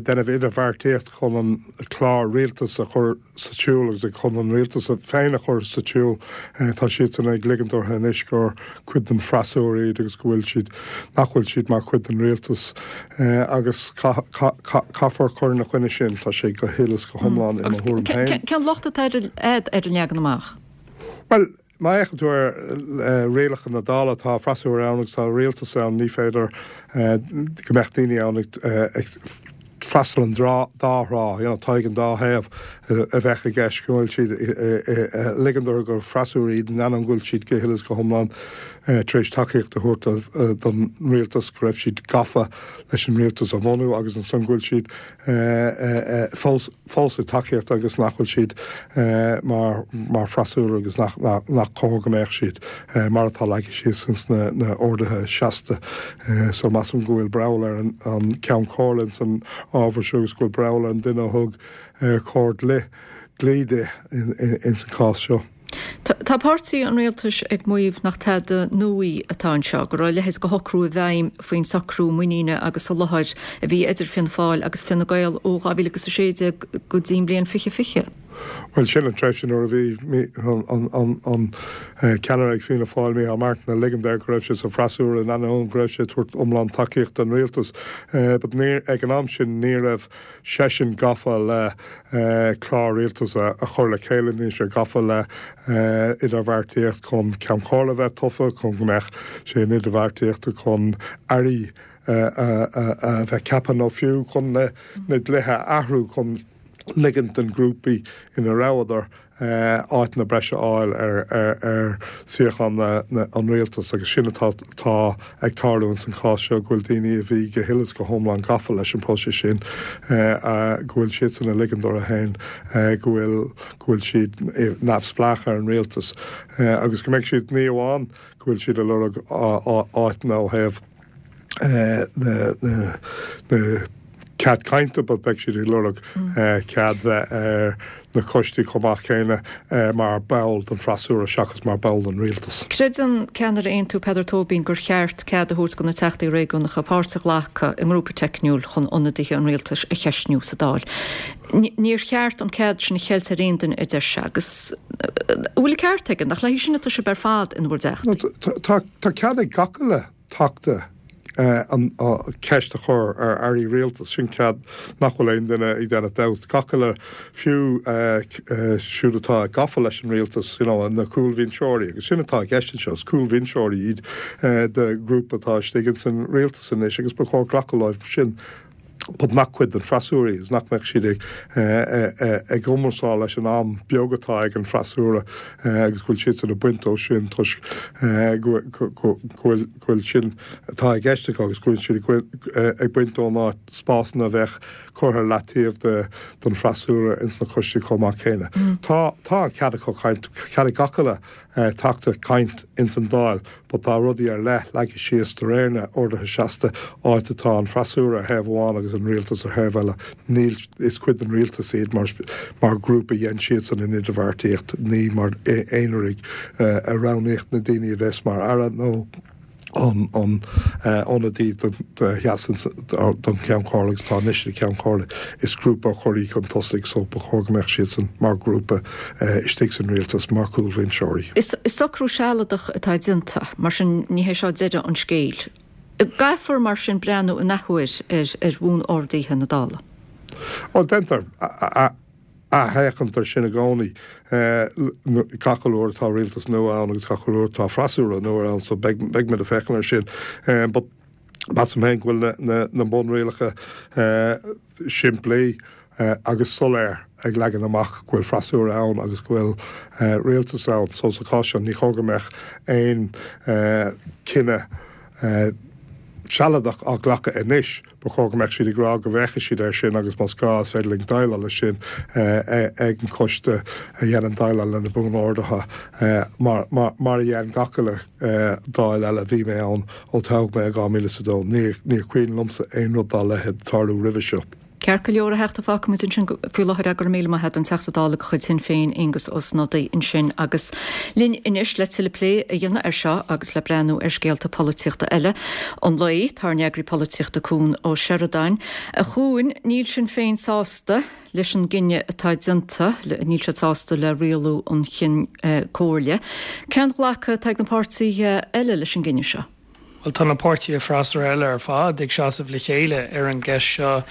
déanamh idirbheartaíocht chun an clár rialtais a chur sa tsiúl agus chun an rialtas féin a chur sa tsiúl, tá siadsan ag ligint orthu anois gur cuid den freasúra iad agus go bhfuil siad, nach bhfuil siad mar chuid den rialtas agus caithfear cur ina choinne sin. Tá sé go huile is go hiomlán i mo thuairim féin. Cén locht atá agat ar an leagan amach? Bhuel, má fhéachann tú ar rialacha na Dála, tá freasúra ann agus tá rialtas ann, ní féidir go mbeadh daoine ann ag freastal an dá thrá, you know, tá ag an dá thaobh a bheadh i gceist, go bhfuil siad ag ligint orthu gur freasúra iad, in ainneoin go bhfuil siad go huile is go hiomlán tar éis tacaíocht a thabhairt don rialtas, go raibh siad gafa leis an rialtas a bhunú agus ansan go bhfuil siad fós fós ag tacaíocht agus nach bhfuil siad mar mar freasúra agus nach nach cóir go mbeadh siad mar atá leagtha síos ins na na orduithe seasta. So measaim go bhfuil breall ar an an Ceann Comhairle ins an ábhar seo agus go bhfuil breall ar an duine a thug comhairle dlí dlí di ins an chás seo. Tá páirtí an rialtais ag maíomh nach tada nua atá anseo, go raibh a leithéid de shocrú i bhfeidhm faoin socrú muiníne agus soláthair a bhí idir Fianna Fáil agus Fine Gael ó 2016 go dtí an bhliain 2020. Bhuel, sin an tréimhse nuair a bhí an ceannaire ag Fianna Fáil, Micheál Martin, ag ligint air go raibh sé sa bhfreasúra in ainneoin go raibh sé ag tabhairt iomlán tacaíocht don rialtas. But ag an am sin ní raibh seisean gafa le clár rialtais a chur le chéile, ní raibh sé gafa le idirbheartaíocht chun Ceann Comhairle a bheith tofa, chun go mbeadh sé in idirbheartaíocht chun airí a bheith ceaptha nó fiú chun na dlíthe a athrú chun ligint don ghrúpaí ina rabhadar. áiteanna breise a fháil ar suíocháin an rialtais agus sin atá atá ag tarlú ins an chás seo, go bhfuil daoine a bhí go huile is go hiomlán gafa leis an bpróiseas sin, go bhfuil siadsan ag ligean dóibh féin go bhfuil go bhfuil siad neamhspleách ar an rialtas agus go mbeidh siad, ní amháin go bhfuil siad ag lorg áiteanna ó thaobh na cead cainte but beidh siad ag lorg cead bheith ar na coistí chomh maith céanna mar ball den freasúra seachas mar ball den rialtas. Creideann ceannaire Aontú Peadar Tóibín gur cheart cead a thabhairt do na Teachtaí Réigiúnacha páirt a ghlacadh i ngrúpa teicniúil chun ionadaithe an rialtais a cheistniú sa Dáil. Níor cheart an cead sin a cheilt ar aon duine a deir sé agus an bhfuil an ceart aige, nach léi sin atá sibh ar fad ina bhur dTeachtaí? Tá cead ag gach uile Teachta an cheist a chur ar airí rialtais, sin cead nach bhfuil aon duine ag déanamh dabht. Gach uile, fiú siúd atá gafa leis an rialtas, you know, na cúlbhinseoirí, agus sin atá i gceist anseo, is cúlbhinseoirí iad de ghrúpa atá istigh ins an rialtas anois agus ba chóir glacadh leo sin. but nach cuid den freasúra iad, is nach mbeadh siad ag cumarsáil leis an am beag atá ag an freasúra agus go bhfuil siadsan ag baint dó sin toisc go bhfuil sin atá i gceist acu agus go bhfuil siad ag baint ón áit spásanna a bheadh curtha ar leataobh don freasúra ins na coistí chomh maith céanna. Tá an cead acu caint, cead ag gach uile Teachta caint ins an Dáil but tá rudaí ar leith leagtha síos de réir na orduithe seasta, áit atá an freasúra ar thaobh amháin agus an rialtas ar thaobh eile. Níl, is cuid den rialtas iad mar, mar ghrúpa dhein siadsan an idirbheartaíocht, ní mar aonaraigh a roghnaíodh na daoine a bheas mar aire nó an an ionadaí do sheasann don Cheann Comhairle agus atá anois ina Cheann Comhairle. Is grúpa a chuir í chun tosaigh so ba chóir go mbeadh siadsan mar ghrúpa istigh san rialtas mar chúlbhinseoirí. Is socrú sealadach atá déanta, mar sin ní hé seo deireadh an scéil. Caithfear mar sin breathnú in athuair ar bhuan-orduithe na Dála. Bhuel, déantar athfhéachaint air sin i gcónaí gach uile uair atá rialtas nua ann agus gach uile uair atá freasúra nua ann so beidh muid ag féachaint air sin. But measaim féin go bhfuil na bunrialacha simplí agus soiléir ag leagan amach go bhfuil freasúra ann agus go bhfuil rialtas ann so sa chás seo ní chóir go mbeadh aon cinneadh sealadach á ghlacadh anois. Ba chóir go mbeadh siad ag rá go bhféachfaidh siad air sin agus más gá is féidir linn déileáil leis sin ag an choiste a dhéanann déileáil le na Buan-Orduithe mar a dhein gach uile Dáil eile a bhí mé ann ó toghadh mé i 2002. Níor chuimhin liomsa aon rud dá leithéid tarlú roimhe seo. Ceart go leor, a Theachta, fágfaimid ansin faoi láthair é. Go raibh míle maith agat, an Teachta Dála de chuid Shinn Féin, Aengus Ó Snodaigh ansin agus linn anois le tuilleadh plé a dhéanamh air seo agus le breathnú ar scéalta polaitíochta eile an lae, tá ár n-eagraí polaitíochta Cuan Ó Seireadáin. A Chuain, níl Sinn Féin sásta leis an gcinneadh atá déanta, níl siad sásta le rialú an Chinn Comhairle. Cén glacadh atá ag na páirtithe eile leis an gcinneadh seo? Bhuel, tá na páirtithe freasúra eile ar fad ag seasamh le chéile ar an gceist seo.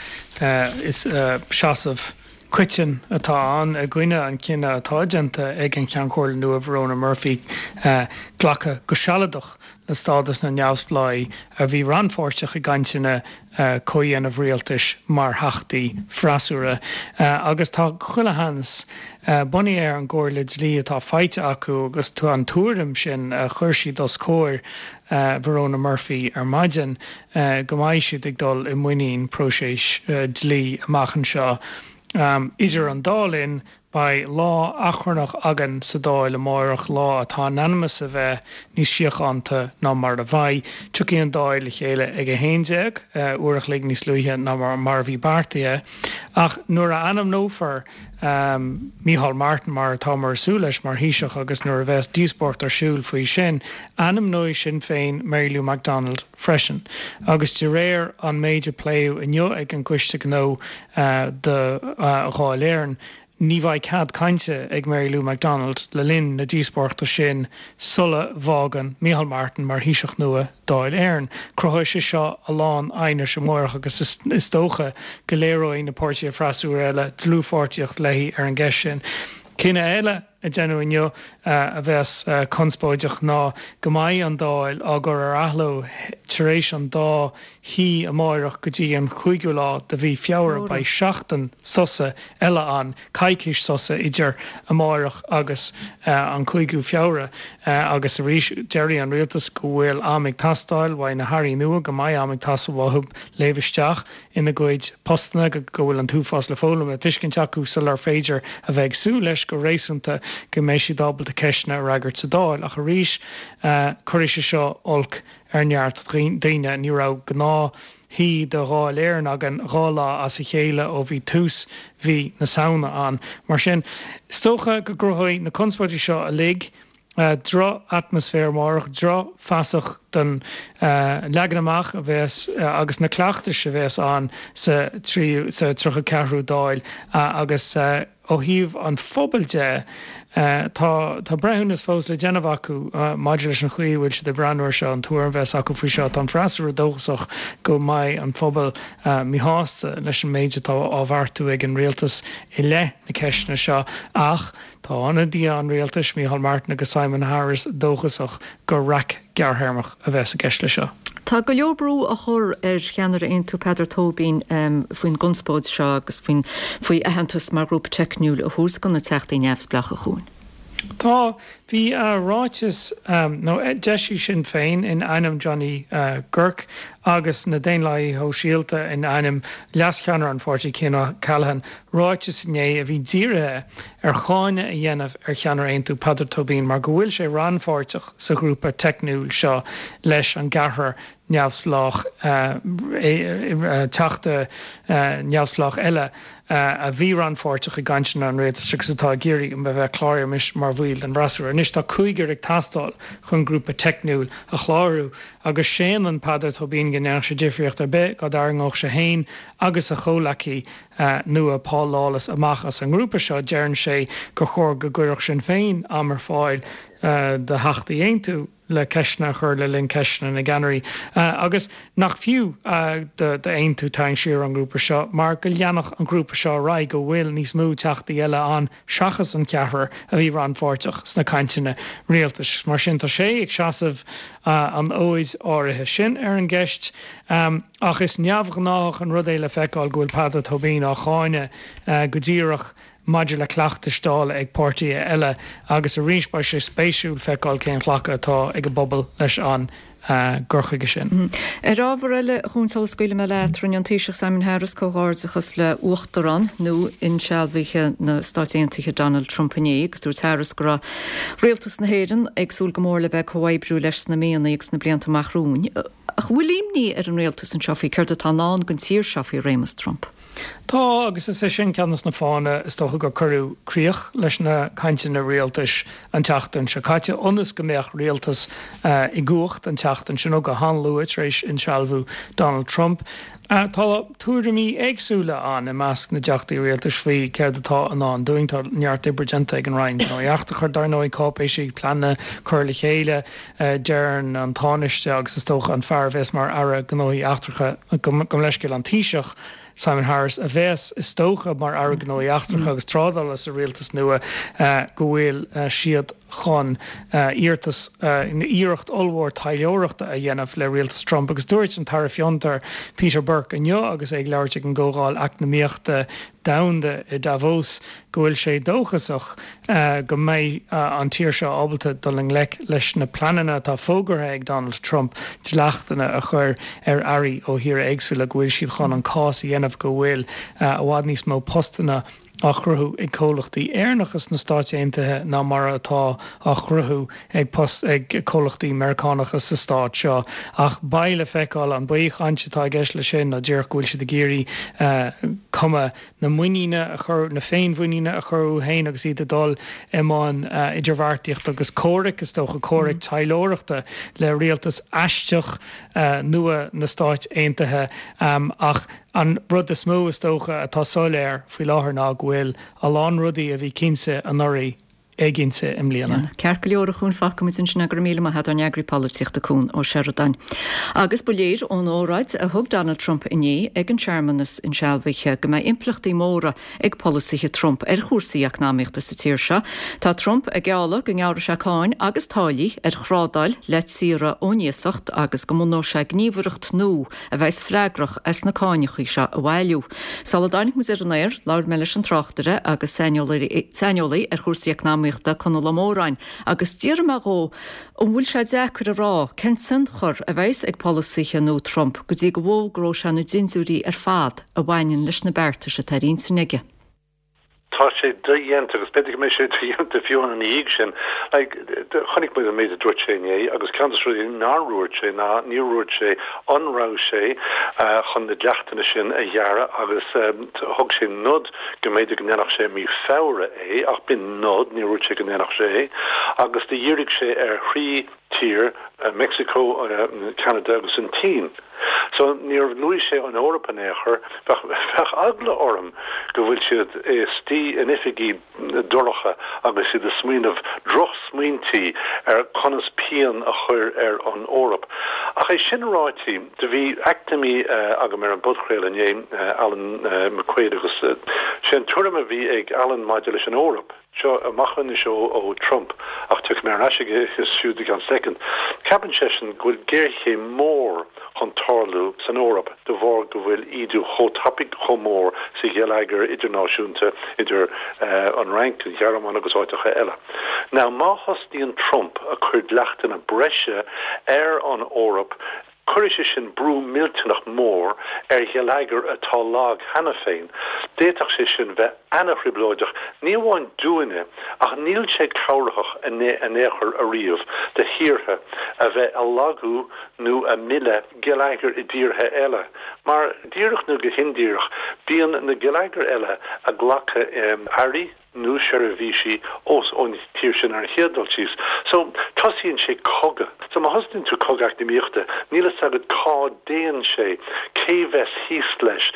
Is seasamh coiteann atá ann i gcoinne an chinnidh atá déanta ag an Cheann Comhairle nua, Verona Murphy, glacadh go sealadach le stádas na neamhspleáigh a bhí rannpháirteach i gcainteanna comhdhéanamh rialtais mar theachtaí freasúra. Agus tá chuile sheans, bunaithe ar an gcomhairle dlí atá faighte acu agus an tuairim sin a chuir siad os comhair Verona Murphy ar maidin, go mbeidh siad ag dul i muinín próiseas dlí amach anseo. Idir an dá linn, Beidh lá achrannach againn sa Dáil amárach, lá atá in ainm is a bheith níos síochánta ná mar a bheidh. Tiocfaidh an Dáil le chéile ag 11, uair a chloig níos luaithe ná mar a bhí beartaithe. Ach nuair a ainmneofar Micheál Martin, mar atáthar ag súil leis, mar Thaoiseach agus nuair a bheas díospóireacht ar siúl faoi sin, ainmneoidh Sinn Féin Mary Lou McDonald freisin. Agus de réir an méid a pléadh inniu ag an gCoiste Gnó do Dháil Éireann, ní bheidh cead cainte ag Mary Lou McDonald le linn na díospóireachta sin sula bhfágann Micheál Martin mar Thaoiseach nua Dáil Éireann. Cruthóidh sé seo a lán aighnis amárach agus is dócha go léireoidh na páirtithe freasúra eile dlúthpháirtíocht léi ar an gceist sin. Cinneadh eile. a déanadh inniu a bheas conspóideach ná go mbeidh an Dáil á gcur ar athló tar éis an dá shuí amáireach go dtí an chúigiú lá de mhí Feabhra. Beidh seachtain sosa eile ann, coicís sosa idir amáireach agus an cúigiú Feabhra. Agus arís, déarfaidh an rialtas go bhfuil am ag teastáil uaidh na hairí nua, go mbeidh am ag teastáil uathu léamh isteach ina gcuid postanna, go bhfuil an t-uafás le foghlaim, le tuiscint acu sular féidir a bheith ag súil leis go réasúnta go mbeidh siad ábalta ceisteanna a fhreagairt sa Dáil. Ach arís, cuirfidh sé seo olc ar neart daoine. Ní raibh gnáthshuí de Dháil Éireann againn 2 lá as a chéile ó bhí tús mhí na Samhna ann. Mar sin, is dócha go gcruthóidh na conspóidí seo uilig droch-atmaisféar amárach, drochfheasacht den leagan amach a bheas agus na cleachtais a bheas ann sa tríú, sa 34ú Dáil agus ó thaobh an phobail de, tá tá breithiúnas fós le déanamh acu maidir leis an chaoi a bhfuil siad ag breathnú air seo, an tuairim a bheas acu faoi seo. Tá an freasúra dóchasach go mbeidh an pobal míshásta leis an méid atá á bheartú ag an rialtas i leith na ceisteanna seo ach Tá ionadaithe an rialtais, Micheál Martin agus Simon Harris, dóchasach gur raic gearrthéarmach a bheas i gceist leis seo. Tá go leor brú á chur ar cheannaire Aontú Peadar Tóibín faoin gconspóid seo agus faoin faoi aitheantas mar ghrúpa teicniúil a thabhairt do na Teachtaí Neamhspleácha chugainn. Tá. Bhí ráiteas, nó d'eisigh Sinn Féin in ainm Johnny Guirke agus na Daonlathaithe Shóisialta in ainm leascheannaire an pháirtí Cian O'Callaghan, ráiteas inné a bhí dírithe ar cháineadh a dhéanamh ar cheannaire Aontú, Peadar Tóibín, mar go bhfuil sé rannpháirteach sa ghrúpa teicniúil seo leis an gceathrar neamhspleách, teachta neamhspleách eile a bhí rannpháirteach i gcainteanna an rialtais agus atá ag iarraidh a bheith cláraithe anois mar bhaill den bhfreasúra. Anois tá cúigear ag teastáil chun grúpa teicniúil a chlárú agus séanann Peadar Tóibín go ndéanfadh sé difríocht ar bith dá dtarraingeodh sé féin agus a chomhleacaí nua Paul Lawless amach as an ngrúpa seo, deireann sé gur chóir go gcuirfeadh Sinn Féin am ar fáil do Theachtaí Aontú le ceisteanna a chur le linn ceisteanna na gceannairí agus nach fiú d'Aontú tarraingt siar ón ngrúpa seo mar go leanfadh an grúpa seo ar aghaidh, go bhfuil níos mó Teachtaí eile ann seachas an ceathrar a bhí rannpháirteach sna cainteanna rialtais. Mar sin tá sé ag seasamh an fhóid áirithe sin ar an gceist. Ach is neamhghnáthach an rud é le feiceáil go bhfuil Peadar Tóibín á cháineadh go díreach maidir le cleachtais Dála ag páirtithe eile agus arís beidh sé spéisiúil feiceáil cén ghlacadh atá ag an bpobal leis an gcur chuige sin. Ar ábhar eile, a Chuain, sula scaoilfidh mé leat, rinne an Taoiseach Simon Harris comhghairdeachas le Uachtarán nua-insealbhaithe na Stáit Aontaithe Donald Trump inné agus dúirt Harris go raibh Rialtas na hÉireann ag súil go mór le bheith ag comhoibriú leis sna míonna agus sna blianta amach romhainn. Ach an bhfuil imní ar an rialtas anseo faoi céard atá i ndán don tír seo faoi réimeas Trump? Tá, agus is é sin ceann de na fáthanna is dócha gur cuireadh críoch leis na cainteanna rialtais an tseachtain seo caite, ionas go mbeadh rialtas i gcumhacht an tseachtain seo, nó go han-luath tar éis insealbhú Donald Trump. Tá tuairimí éagsúla ann i measc na dteachtaí rialtais faoi céard atá i ndán dúinn. Tá neart oibre déanta ag an Roinn Gnóthaí Eachtracha, dar ndóigh, cáipéisí, pleananna curtha le chéile. Deireann an Tánaiste agus is dócha an fear a bheas mar Aire Gnóthaí Eachtracha, gabh mo leithscéal, an Taoiseach, Simon Harris, a bheas is dócha mar Aire Gnóthaí Eachtracha agus Trádála sa rialtas nua, go bhfuil siad chun iarratas, iarracht ollmhór taidhleoireachta a dhéanamh le rialtas Trump. Agus dúirt an tAire Fiontar, Peter Burke inniu agus é ag labhairt ag an gComhdháil Eacnamaíochta Domhanda i Davos go bhfuil sé dóchasach go mbeidh an tír seo ábalta dul i ngleic leis na pleananna atá fógartha ag Donald Trump dleachtanna a chur ar earraí ó thíortha éagsúla, go bhfuil siad chun an cás a dhéanamh go bhfuil i bhfad níos mó postanna á chruthú ag comhlachtaí Éireannacha sna Stáit Aontaithe ná mar atá á chruthú ag post ag comhlachtaí Meiriceánacha sa stát seo. Ach beidh le feiceáil an baothchaint atá i gceist leis sin nó díreach go bhfuil siad ag iarraidh cuma na muiníne a chur, na féinmhuiníne a chur uathu féin agus iad ag dul i mbun idirbheartaíochta agus comhraic, is dócha, comhraic taidhleoireachta le rialtas aisteach nua na Stáit Aontaithe. Ach an rud is mó, is dócha, atá soiléir faoi láthair ná go bhfuil a lán rudaí a bhí cinnte anuraidh. éiginnte i mbliana. Ceart go leor a Chúin fágfaimid ansin é go raibh míle maith agat ár n-eagraí polaitíochta Cún Ó Seireadáin. Agus ba léir ón óráid a thug Donald Trump inné ag an searmanas insealbhaithe go mbeidh impleachtaí móra ag polasaithe Trump ar chúrsaí eacnamaíochta sa tír seo. Tá Trump ag gealladh go ngearrfaidh sé cáin agus táillí ar thrádáil le tíortha ón iasacht agus go mbunóidh sé gníomhaireacht nua a bheas freagrach as na cáineachaí seo a bhailiú. Sula dtáinig muid ar an aer, labhair mé leis an tráchtaire agus saineolaí ar chúrsaí eacnamaíochta, Conall Ó Móráin, agus d'fhiafraigh mé dhó an bhfuil sé deacair a rá cén tionchar a bheas ag polasaithe nua Trump go dtí go bhfógróidh sé na dintiúirí ar fad a bhaineann leis na beartais atá ar intinn aige. Tá sé dodhéanta, agus b'fhéidir go mbeidh sé dodhéanta fiú ina dhiaidh sin. Like, chonaic muid an méid a dúirt sé inné, agus ceann de na rudaí nár dhúirt sé ná níor dhúirt sé an raibh sé chun na dleachtanna sin a ghearradh agus thug sé nod go mb'fhéidir go ndéanfadh sé i mí Feabhra é, ach b'in nod, níor dhúirt sé go ndéanfadh sé é. Agus do dhírigh sé ar thrí tír, Meicsiceo, Ceanada agus an tSín. So níor luaigh sé an Eoraip in aon chor. Bheadh, bheadh eagla orm go bhfuil siad istigh in oifigí dorcha agus iad ag smaoineamh drochsmaointí ar conas pian a chur ar an Eoraip. Ach é sin ráite, do bhí eacnamaí agam ar an bpodchraoladh inné, Alan McQuaid, agus sé an tuairim a bhí ag Alan maidir leis an Eoraip, Seo amach anois ó Trump, ach tiocfaidh mé ar ais aige siúd i gceann soicind. Ceapann seisean go bhfuil géarchéim mór chun tarlú san Eoraip de bharr go bhfuil ídiú chomh tapaidh, chomh mór sa gheilleagar idirnáisiúnta idir an Fhrainc, an Ghearmáin agus áiteacha eile. Now má thosnaíonn Trump a cur dleachtanna breise ar an Eoraip, Cuirfidh sé sin brú millteanach mór ar gheilleagar atá lag cheana féin. D'fhéadfadh sé sin bheith ana-thrioblóideach, ní amháin dúinne, ach níl sé cabhraitheach in aon chor ariamh do thíortha a bheith a lagú nó a milleadh geilleagair i dtíortha eile, mar, díreach nó go hindíreach, bíonn na geilleagair eile a glacadh earraí, nó seirbhísí ós ón tír sin ar an chéad dul síos. So, tosaíonn sé cogadh. So, má thosaíonn tú cogadh eacnamaíochta, níl fhios agat cá dtéann sé, cé bheas thíos leis.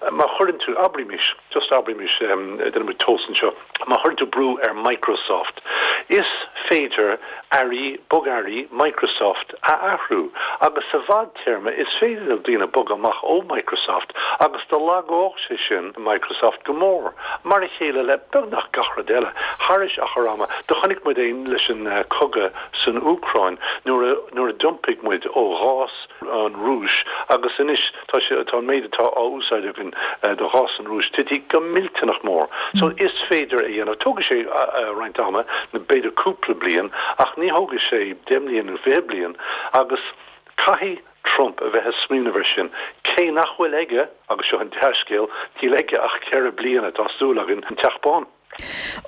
Má chuireann tú, abraimis, just abraimis, déanfaidh muid tomhas anseo, má chuireann tú brú ar Microsoft, is féidir earraí, bogearraí Microsoft a athrú agus sa bhfadtéarma is féidir le daoine bogadh amach ó Microsoft agus do lagódh sé sin Microsoft go mór. Mar a chéile le beagnach gach rud eile. Thairis achar ama, do chonaic muid é leis an cogadh san Úcráin nuair a nuair a d'iompaigh muid ó ghás an Rúis agus anois tá sé tá an méid atá á úsáid againn de ghás an Rúis tite go millteanach mór. So is féidir a dhéanamh. Tógfaidh sé roinnt ama, b'fhéidir cúpla bliain, ach ní thógfaidh sé 10 mbliana nó 20 bliain agus caithfidh Trump a bheith ag smaoineamh ar sin, cé nach bhfuil aige, agus seo an dea-scéal, níl aige ach ceithre bliana, tá súil againn, an Teach Bán.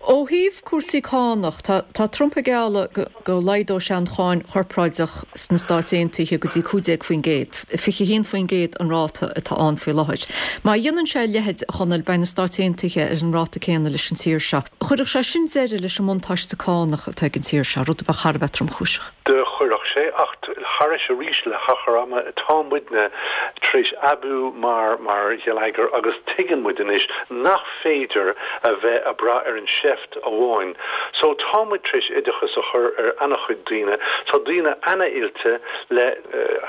Ó thaobh cúrsaí cánach, tá Trump ag gealladh go laghdóidh sé an cháin chorpráideach sna Stáit Aontaithe go dtí 15%, 21% an ráta atá ann faoi láthair. Má dhéanann sé a leithéid, a Chonaill, beidh na Stáit Aontaithe ar an ráta céanna leis an tír seo. Chuirfeadh sé sin deireadh leis an mbuntáiste cánach atá ag an tír seo, rud a bheadh thar a bheith tromchúiseach. Do chuirfeadh sé, ach thairis arís le hachar ama, tá muidne tar éis aibiú mar mar gheilleagar agus tuigeann muid anois nach féidir a bheith a brath ar an seift amháin. So tá muid tar éis oideachas a chur ar ana-chuid daoine, tá daoine ana-oilte le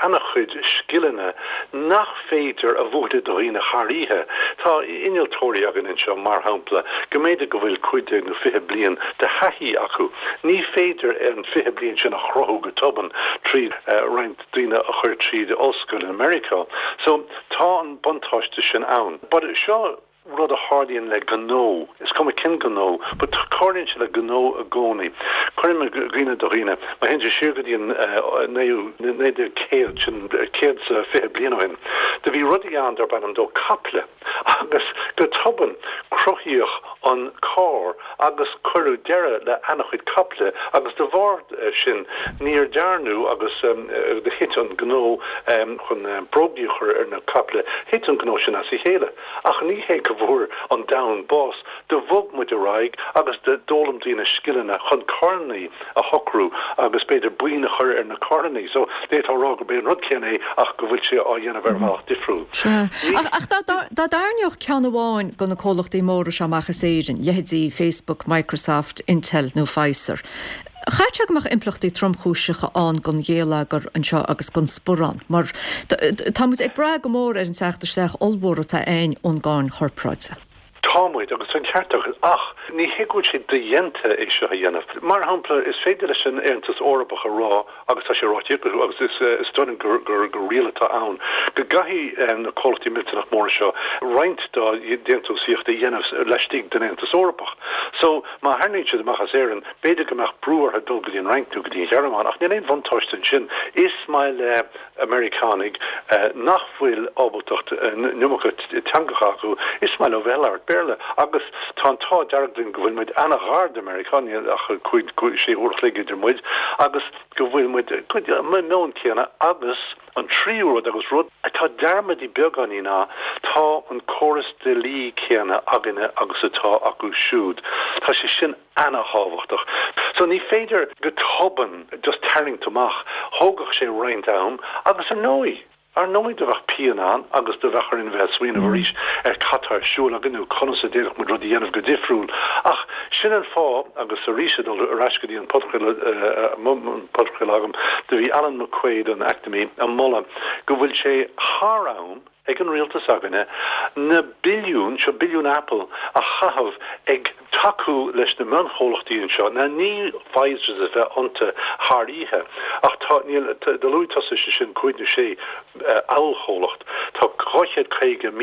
ana-chuid scileanna nach féidir a mhúineadh do dhaoine thar oíche. Tá innealtóirí againn anseo, mar shampla, go mb'fhéidir go bhfuil 15 nó 20 bliain de thaithí acu. Ní féidir an 20 bliain sin a chruthú go tobann tríd roinnt daoine a chur tríd ollscoil in Meiriceá. So, tá an buntáiste sin ann. But seo rud a tharlaíonn le gnó, is cuma cén gnó, but tarlaíonn sé le gnó i gcónaí. Cuirim i gcuimhne do dhaoine, má théann tú siar go dtí an naoú, 1900, sin 120 bliain ó shin, do bhí rudaí ann darb ainm dó caiple agus go tobann cruthaíodh an carr agus cuireadh deireadh le ana-chuid caiple agus de bharr sin níor dearnadh agus do thit an gnó chun brógaí a chur ar na caiple, thit an gnó sin as a chéile. Ach ní hé go. go bhfuair an domhan bás. Do bhog muid ar aghaidh agus d'fhoghlaim daoine scileanna chun carrannaí a shocrú agus b'fhéidir boinn a chur ar na carrannaí. So, d'fhéadfá a rá gurb é an rud céanna é ach go bhfuil sé á dhéanamh ar bhealach difriúil. Sea. Ach dá dtarraingeodh ceann amháin de na comhlachtaí móra seo amach as Éirinn, leithéidí Facebook, Microsoft, Intel nó Pfizer, chaithfeadh sé go mbeadh impleachtaí tromchúiseacha ann don ghéilleagar anseo agus don sparán, mar tá muid ag brath go mór ar an teacht isteach ollmhór atá againn ón gcáin chorparáide. Tá muid, agus tá an ceart agat, ach ní hé go bhfuil sé dodhéanta é seo a dhéanamh. Mar shampla, is féidir leis an Aontas Eorpach a rá, agus tá sé ráite acu, agus is dóigh liom gur riail atá ann, go gcaithfidh na comhlachtaí millteanach móra seo roinnt dá ndéantúsaíocht a dhéanamh laistigh den Aontas Eorpach. So, má tharraingíonn siad amach as Éirinn, b'fhéidir go mbeadh brú orthu dul go dtí an Fhrainc nó go dtí an Ghearmáin, ach níl aon bhuntáiste ansin. Is maith le. Meiriceánaigh nach bhfuil ábaltacht an iomarca teangacha acu, is maith leo bheith ag labhairt Béarla. Agus tá an t-ádh dearg linn go bhfuil muid ana-ghar do Mheiriceá, níl ach cúig, sé uair a chloig idir muid, agus go bhfuil muid, an meon céanna. Agus an tríú rud, agus rud atá dearmadta beagáinín ná, tá an córas dlí céanna againne agus atá acu siúd. Tá sé sin ana-thábhachtach. So ní féidir go tobann just tarraingt amach, thógfadh sé roinnt am agus ar ndóigh, ar ndóigh do bheadh pian ann agus do bheadh orainn bheith ag smaoineamh arís ar cad tá ar siúl againn nó conas a d'fhéadfadh muid rud a dhéanamh go difriúil. Ach sin an fáth, agus arís ag dul ar ais go dtí an podchraoladh, an podchraoladh agam, do bhí Alan McQuaid, an eacnamaí, ag moladh go bhfuil sé thar am, ag an rialtas againne na billiúin, seo billiúin Apple, a chaitheamh ag tacú leis na mionchomhlachtaí anseo. Now ní Pfizers a bheith iontu thar oíche ach tá, níl, do luaigh tusa sé sin cúig nó sé ollchomhlacht, tá 250,000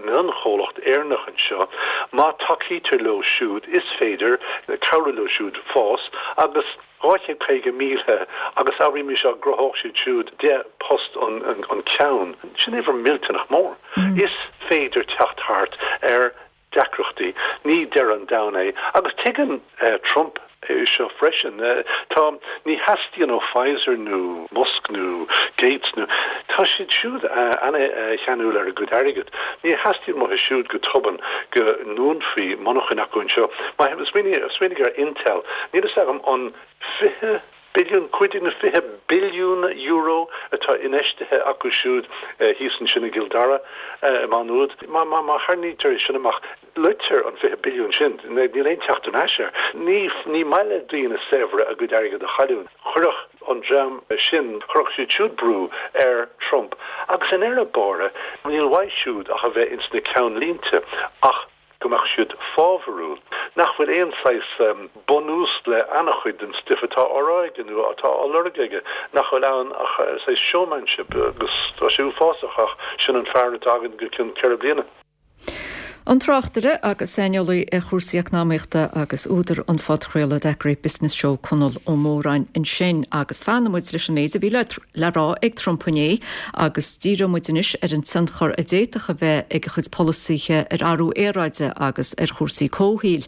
mionchomhlacht Éireannach anseo. Má tacaítear leo siúd is féidir cabhrú leo siúd fás agus. 250,000 agus abraimis dá gcruthódh siad siúd 10 post an ceann. Sin uimhir millteanach mór. Is féidir teacht thart ar deacrachtaí. Ní deireadh an domhain é. Agus tuigeann Trump é seo freisin. Tá, ní theastaíonn ó Pfizer nó Musk nó Gates nó, tá siad siúd ana-cheanúil ar a gcuid airgid. Ní theastaíonn uathu siúd go tobann go ndúnfaí monarchain acu anseo. Smaoinigh ar Intel. Níl fhios agam an 20 billiún, 15 nó 20 billiún euro atá infheistithe acu siúd thíos ansin i gCill Dara, i Má Nuad. Má tharraingítear é sin amach, loitear an 20 billiún sin. Níl aon teacht ar ais air. Ní ní maith le daoine saibhre a gcuid airgid a chailliúint. Chuirfeadh an dream sin, chuirfeadh siad siúd brú ar Trump. Agus i ndeireadh báire, níl uaidh siúd ach a bheith ins na ceannlínte ach go mbeadh siad fábharúil, nach bhfuil aon saghas bunús le an-chuid den stuif atá á rá aige nó atá á lorg aige, nach bhfuil ann ach saghas showmanship agus tá sé uafásach ach sin an fear atá againn go cionn ceithre bliana. An tráchtaire agus saineolaí ar chúrsaí eacnamaíochta agus údar an phodchraoladh That Great Business Show Conall Ó Móráin ansin agus fanfaidh muid leis an méid a bhí le rá ag Trump inné agus díreoidh muid anois ar an tionchar a d'fhéadfadh a bheith ag a chuid polasaithe ar athrú aeráide agus ar chúrsaí comhshaoil.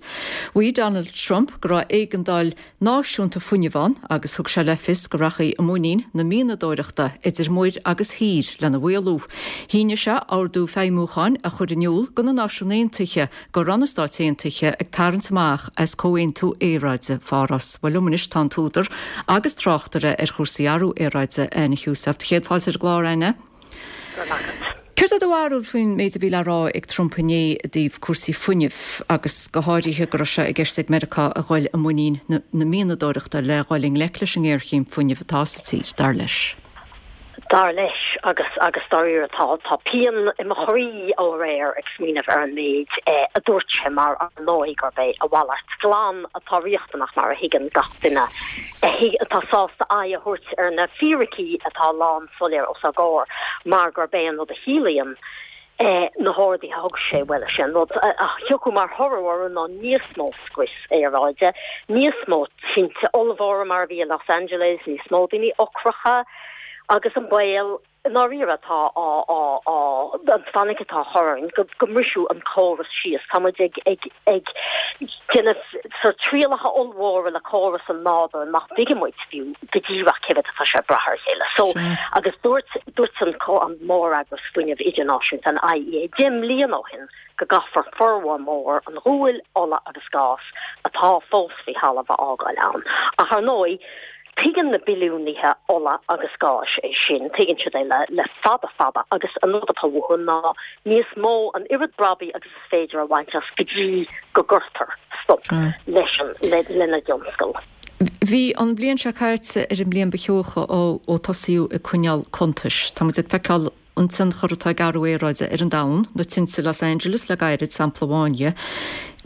Mhaígh Donald Trump go raibh éigeandáil náisiúnta fuinnimh ann agus thug sé le fios go rachaí i muinín na mianadóireachta idir muir agus thír lena mhaolú. Shínigh sé ordú feidhmiúcháin a chuir in iúl do na Náisiúin Aontaithe go raibh na Stáit Aontaithe ag tarraingt amach as Comhaontú Aeráide Pháras. Bhuel liom anois tá an t-údar agus tráchtaire ar chúrsaí athrú aeráide, Áine Heussaff. Céad fáilte ar an gclár, Áine. Go raibh maith agat. Céard é do bharúil faoin méid a bhí le rá ag Trump inné i dtaobh cúrsaí fuinnimh agus go háirithe go raibh sé i gceist ag Meiriceá a ghoil i muinín na mianadóireachta le dhul i ngleic leis an ngéarchéim fuinnimh atá sa tír, dar leis? Dar leis, agus agus dáiríre tá tá pian i mo chroí ó aréir ag smaoineamh ar an méid a dúirt sé mar ar ndóigh gurb é a mhalairt glan atá riachtanach mar a thuigeann gach duine atá sásta aghaidh a thabhairt ar na fíricí atá lán soiléir os ár gcomhair mar gurb é an rud a chiallaíonn na horduithe a thug sé, bhuel, is é an rud a thiocfadh mar thoradh orthu ná níos mó scrios aeráide, níos mó tinte ollmhóra mar a bhí i Los Angeles, níos mó daoine ocracha. Agus an baol i ndáiríre atá á, á, á, an fainic atá á chur orainn go, go mbrisfeadh an córas síos. Tá muid ag, ag, ag déanamh sórt trialacha ollmhóra le córas an nádúir nach dtuigeann muid fiú go díreach cé mhéad atá sé ag brath ar a chéile. So, agus dúirt, dúirt an, an móreagras fuinnimh idirnáisiúnta, an IEA, 10 mbliana ó shin go gcaithfear formhór mór an ghuail, ola agus gás atá fós faoi thalamh a fhágáil ann. Ach ar ndóigh, tuigeann na billiúnaithe ola agus gáis é sin, tuigeann siad é le le fada fada agus an rud atá uathu ná níos mó, an oiread brabaigh agus is féidir a bhaint as go dtí go gcuirtear stop leis an, lena dtionscal. Bhí an bhliain seo caite ar an mbliain ba theocha ó tosaíodh ag coinneáil cuntais. Tá muid ag feiceáil an tionchar atá ag athrú aeráide ar an domhan, na tinte i Los Angeles le gairid, sampla amháin dhe.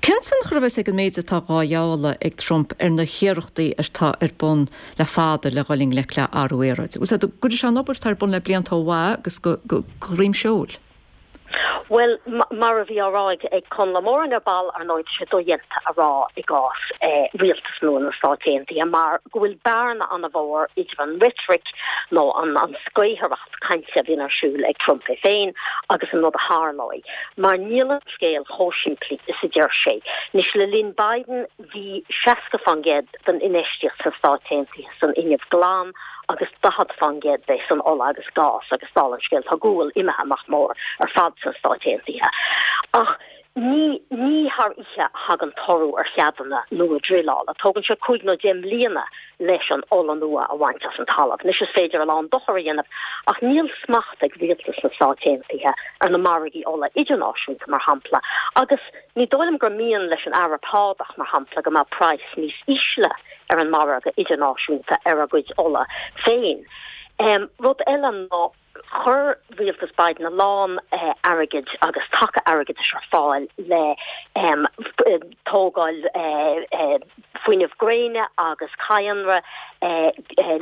Cén tionchar a bheas ag an méid atá dhá ghealladh ag Trump ar na hiarrachtaí atá ar bun le fada le dhul i ngleic le athrú aeráide? Bhfuil a fhios agat, go gcuirfidh sé an obair atá ar bun le blianta ó mhaith agus go droim seoil? Bhuel, mar a bhí á rá ag Conall Ó Móráin ar ball, ar ndóigh, tá sé dodhéanta a rá i gcás rialtas nua na Stát Aontaithe mar go bhfuil bearna an-mhór idir an reitric nó an scaothaireacht cainte a bhíonn ar siúl ag Trump é féin agus an rud a tharlóidh. Mar níl an scéal chomh simplí is a deir sé. Anois, le linn Biden, bhí 60% den infheistíocht sna Stáit Aontaithe san fhuinneamh glan agus 40% de san ola agus gás agus dála an scéil tá gual imithe amach mór ar fad sna Stáit Aontaithe. Ach ní ní thar oíche a thagann toradh ar cheadanna nua druileála. Tógann sé cúig nó deich mbliana leis an ola nua a bhaint as an talamh. Anois is féidir a lán dochar a dhéanamh ach níl smacht ag rialtas na Stáit Aontaithe ar na margaí ola idirnáisiúnta mar shampla agus Ní dóigh liom gur mian leis an Araib Shádach, mar shampla, go mbeadh praghas níos ísle ar an margadh idirnáisiúnta ar a gcuid ola féin. Rud eile ná chuir rialtas Biden a lán airgid agus taca airgeadais ar fáil le tógáil fuinneamh gréine agus cadhnra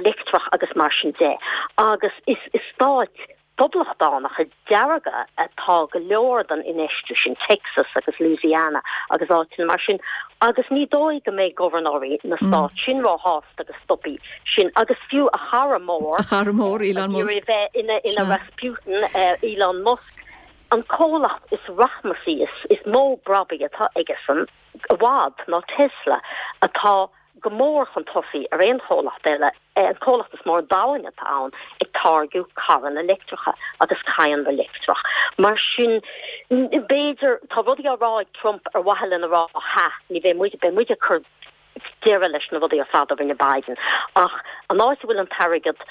leictreach agus mar sin de. Agus is i stáit Phoblachtánacha dearga atá go leor den infheistiú sin, Texas agus Louisiana agus áiteanna mar sin, agus ní dóigh go mbeidh gobharnóirí na stát sin róshásta go stopfaí sin agus fiú a chara mór, A chara mór, Elon Musk. ag iarraidh a bheith ina Rasputin, Elon Musk, an comhlacht is rachmasaí, is mó brabaigh atá aigesan i bhfad ná Tesla, atá go mór chun tosaigh ar aon chomhlacht eile, an comhlacht is mó ar domhain atá ann ag táirgeadh carranna leictreacha agus cadhnra leictreach. Mar sin, b'fhéidir, tá rudaí á rá ag Trump ar mhaithe lena rá, ha, ní bheidh muid, beidh muid ag cur deireadh leis na rudaí ar fad a rinne Biden. Ach an áit a bhfuil an t-airgead,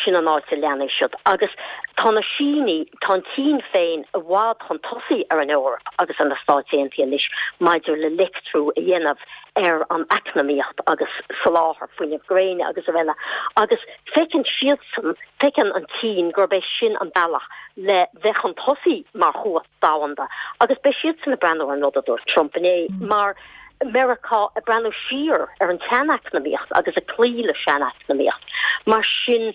sin an áit a leanfaidh siad. Agus tá na Sínigh, tá an tSín féin i bhfad chun tosaigh ar an Eoraip agus ar na Stáit Aontaithe anois maidir le leictriú a dhéanamh ar an eacnamaíocht agus soláthar fuinnimh gréine agus araile. Agus feiceann siadsan, feiceann an tSín gurb é sin an bealach le bheith chun tosaigh mar chumhacht domhanda agus beidh siadsan ag breathnú ar an rud a dúirt Trump inné mar Meiriceá ag breathnú siar ar an tseaneacnamaíocht agus ag cloí le seaneacnamaíocht. Mar sin,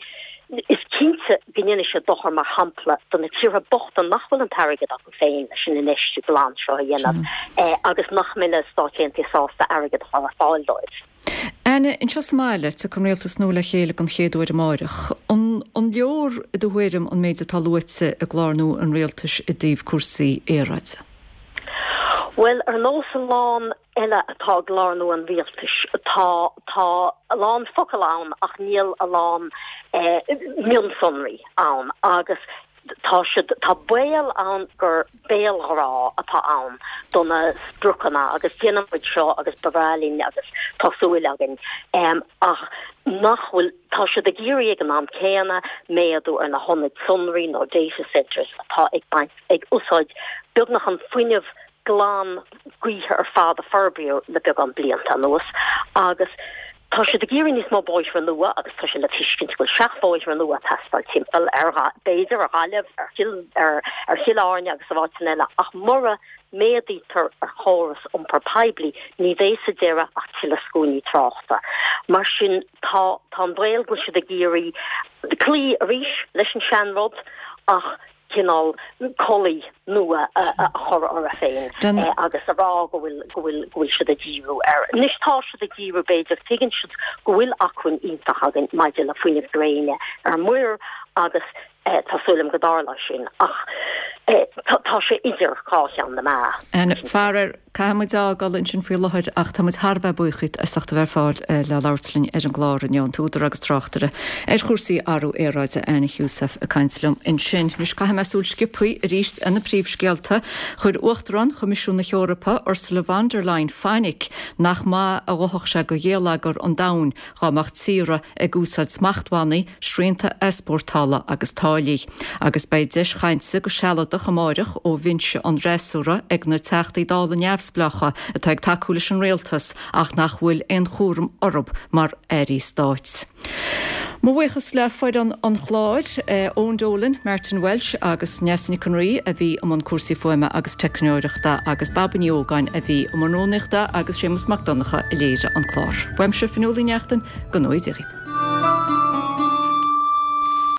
is cinnte go ndéanfaidh sé dochar, mar shampla, do na tíortha bochta nach bhfuil an t-airgead acu féin leis an infheistiú glan seo a dhéanamh agus nach mbeidh na Stáit Aontaithe sásta airgead a chur ar fáil dóibh. Áine, anseo sa mbaile, tiocfaidh an rialtas nua le chéile den chéad uair amáireach. An leor, i do thuairim, an méid atá luaite i gclár nua an rialtais i dtaobh cúrsaí aeráide? Bhuel, ar nós a lán eile atá i gclár nua an rialtais, tá, tá a lán focal ann ach níl a lán mionsonraí ann agus tá siad, tá baol ann gur béalghrá atá ann do na spriocanna agus déanfaidh muid seo agus ba bhreá linn agus tá súil againn ach nach bhfuil, tá siad ag iarraidh ag an am céanna méadú ar na hionaid sonraí nó data centres atá ag baint ag úsáid beagnach an fuinneamh glan gaoithe ar fad a forbraíodh le beagán blianta anuas agus tá siad ag iarraidh níos mó bóithre nua agus tá sé le tuiscint go bhfuil seachbhóithre nua ag teastáil timpeall ar, b'fhéidir, ar Ghaillimh, ar Chill, ar ar Chill Airne agus ar áiteanna eile ach mura méadaítear ar chóras iompar poiblí ní bheidh sa deireadh ach tuilleadh scuainí tráchta. Mar sin tá tá an baol go bhfuil siad ag iarraidh cloí arís leis an seanrud ach cineál culaith nua a chur orthu féin agus a rá go bhfuil, go bhfuil, go bhfuil siad ag díriú air. Anois tá siad ag díriú b'fhéidir, tuigeann siad go bhfuil acmhainn iontach againn maidir le fuinneamh gréine ar muir Agus tá súil agam go dtarlóidh sin ach tá sé idir dhá cheann na meá. Anne, Faraor, caithfidh muid fhágáil ansin faoi láthair ach tá muid thar a bheith buíoch díot as ucht a bheith ar fáil le labhairt linn ar an gclár inniu, an t-údar agus tráchtaire ar chúrsaí athrú aeráide, Anne Heussaff ag caint liom ansin. Anois caithfidh mé súil sciobthaí arís ar na príomhscéalta. Chuir Uachtarán Choimisiún na hEorpa, Ursula von der Leyen fainic nach maith a ghabhfadh sé do gheilleagar an domhain dá mbeadh tíortha ag úsáid smachtbhannaí, srianta easpórtála agus táillí. Agus beidh deis chainte go sealadach amáireach ó bhinse an fhreasúra ag na Teachtaí Dála neamhspleácha atá ag tacú leis an rialtas ach nach bhfuil aon chúram orthu mar airí stáit. Mo bhuíochas le foireann an chláir, Eoin Dolan, Martin Walsh agus Neasa Nic an Rí a bhí i mbun cúrsaí fuaime agus teicneoireachta agus Baba Ní Ógáin a bhí i mbun rúnaíochta agus Séamus Mac Donncha a léirigh an clár. Uaimse Fionnuala Ní Neachtain, go ngnóthaí Dia dhaoibh.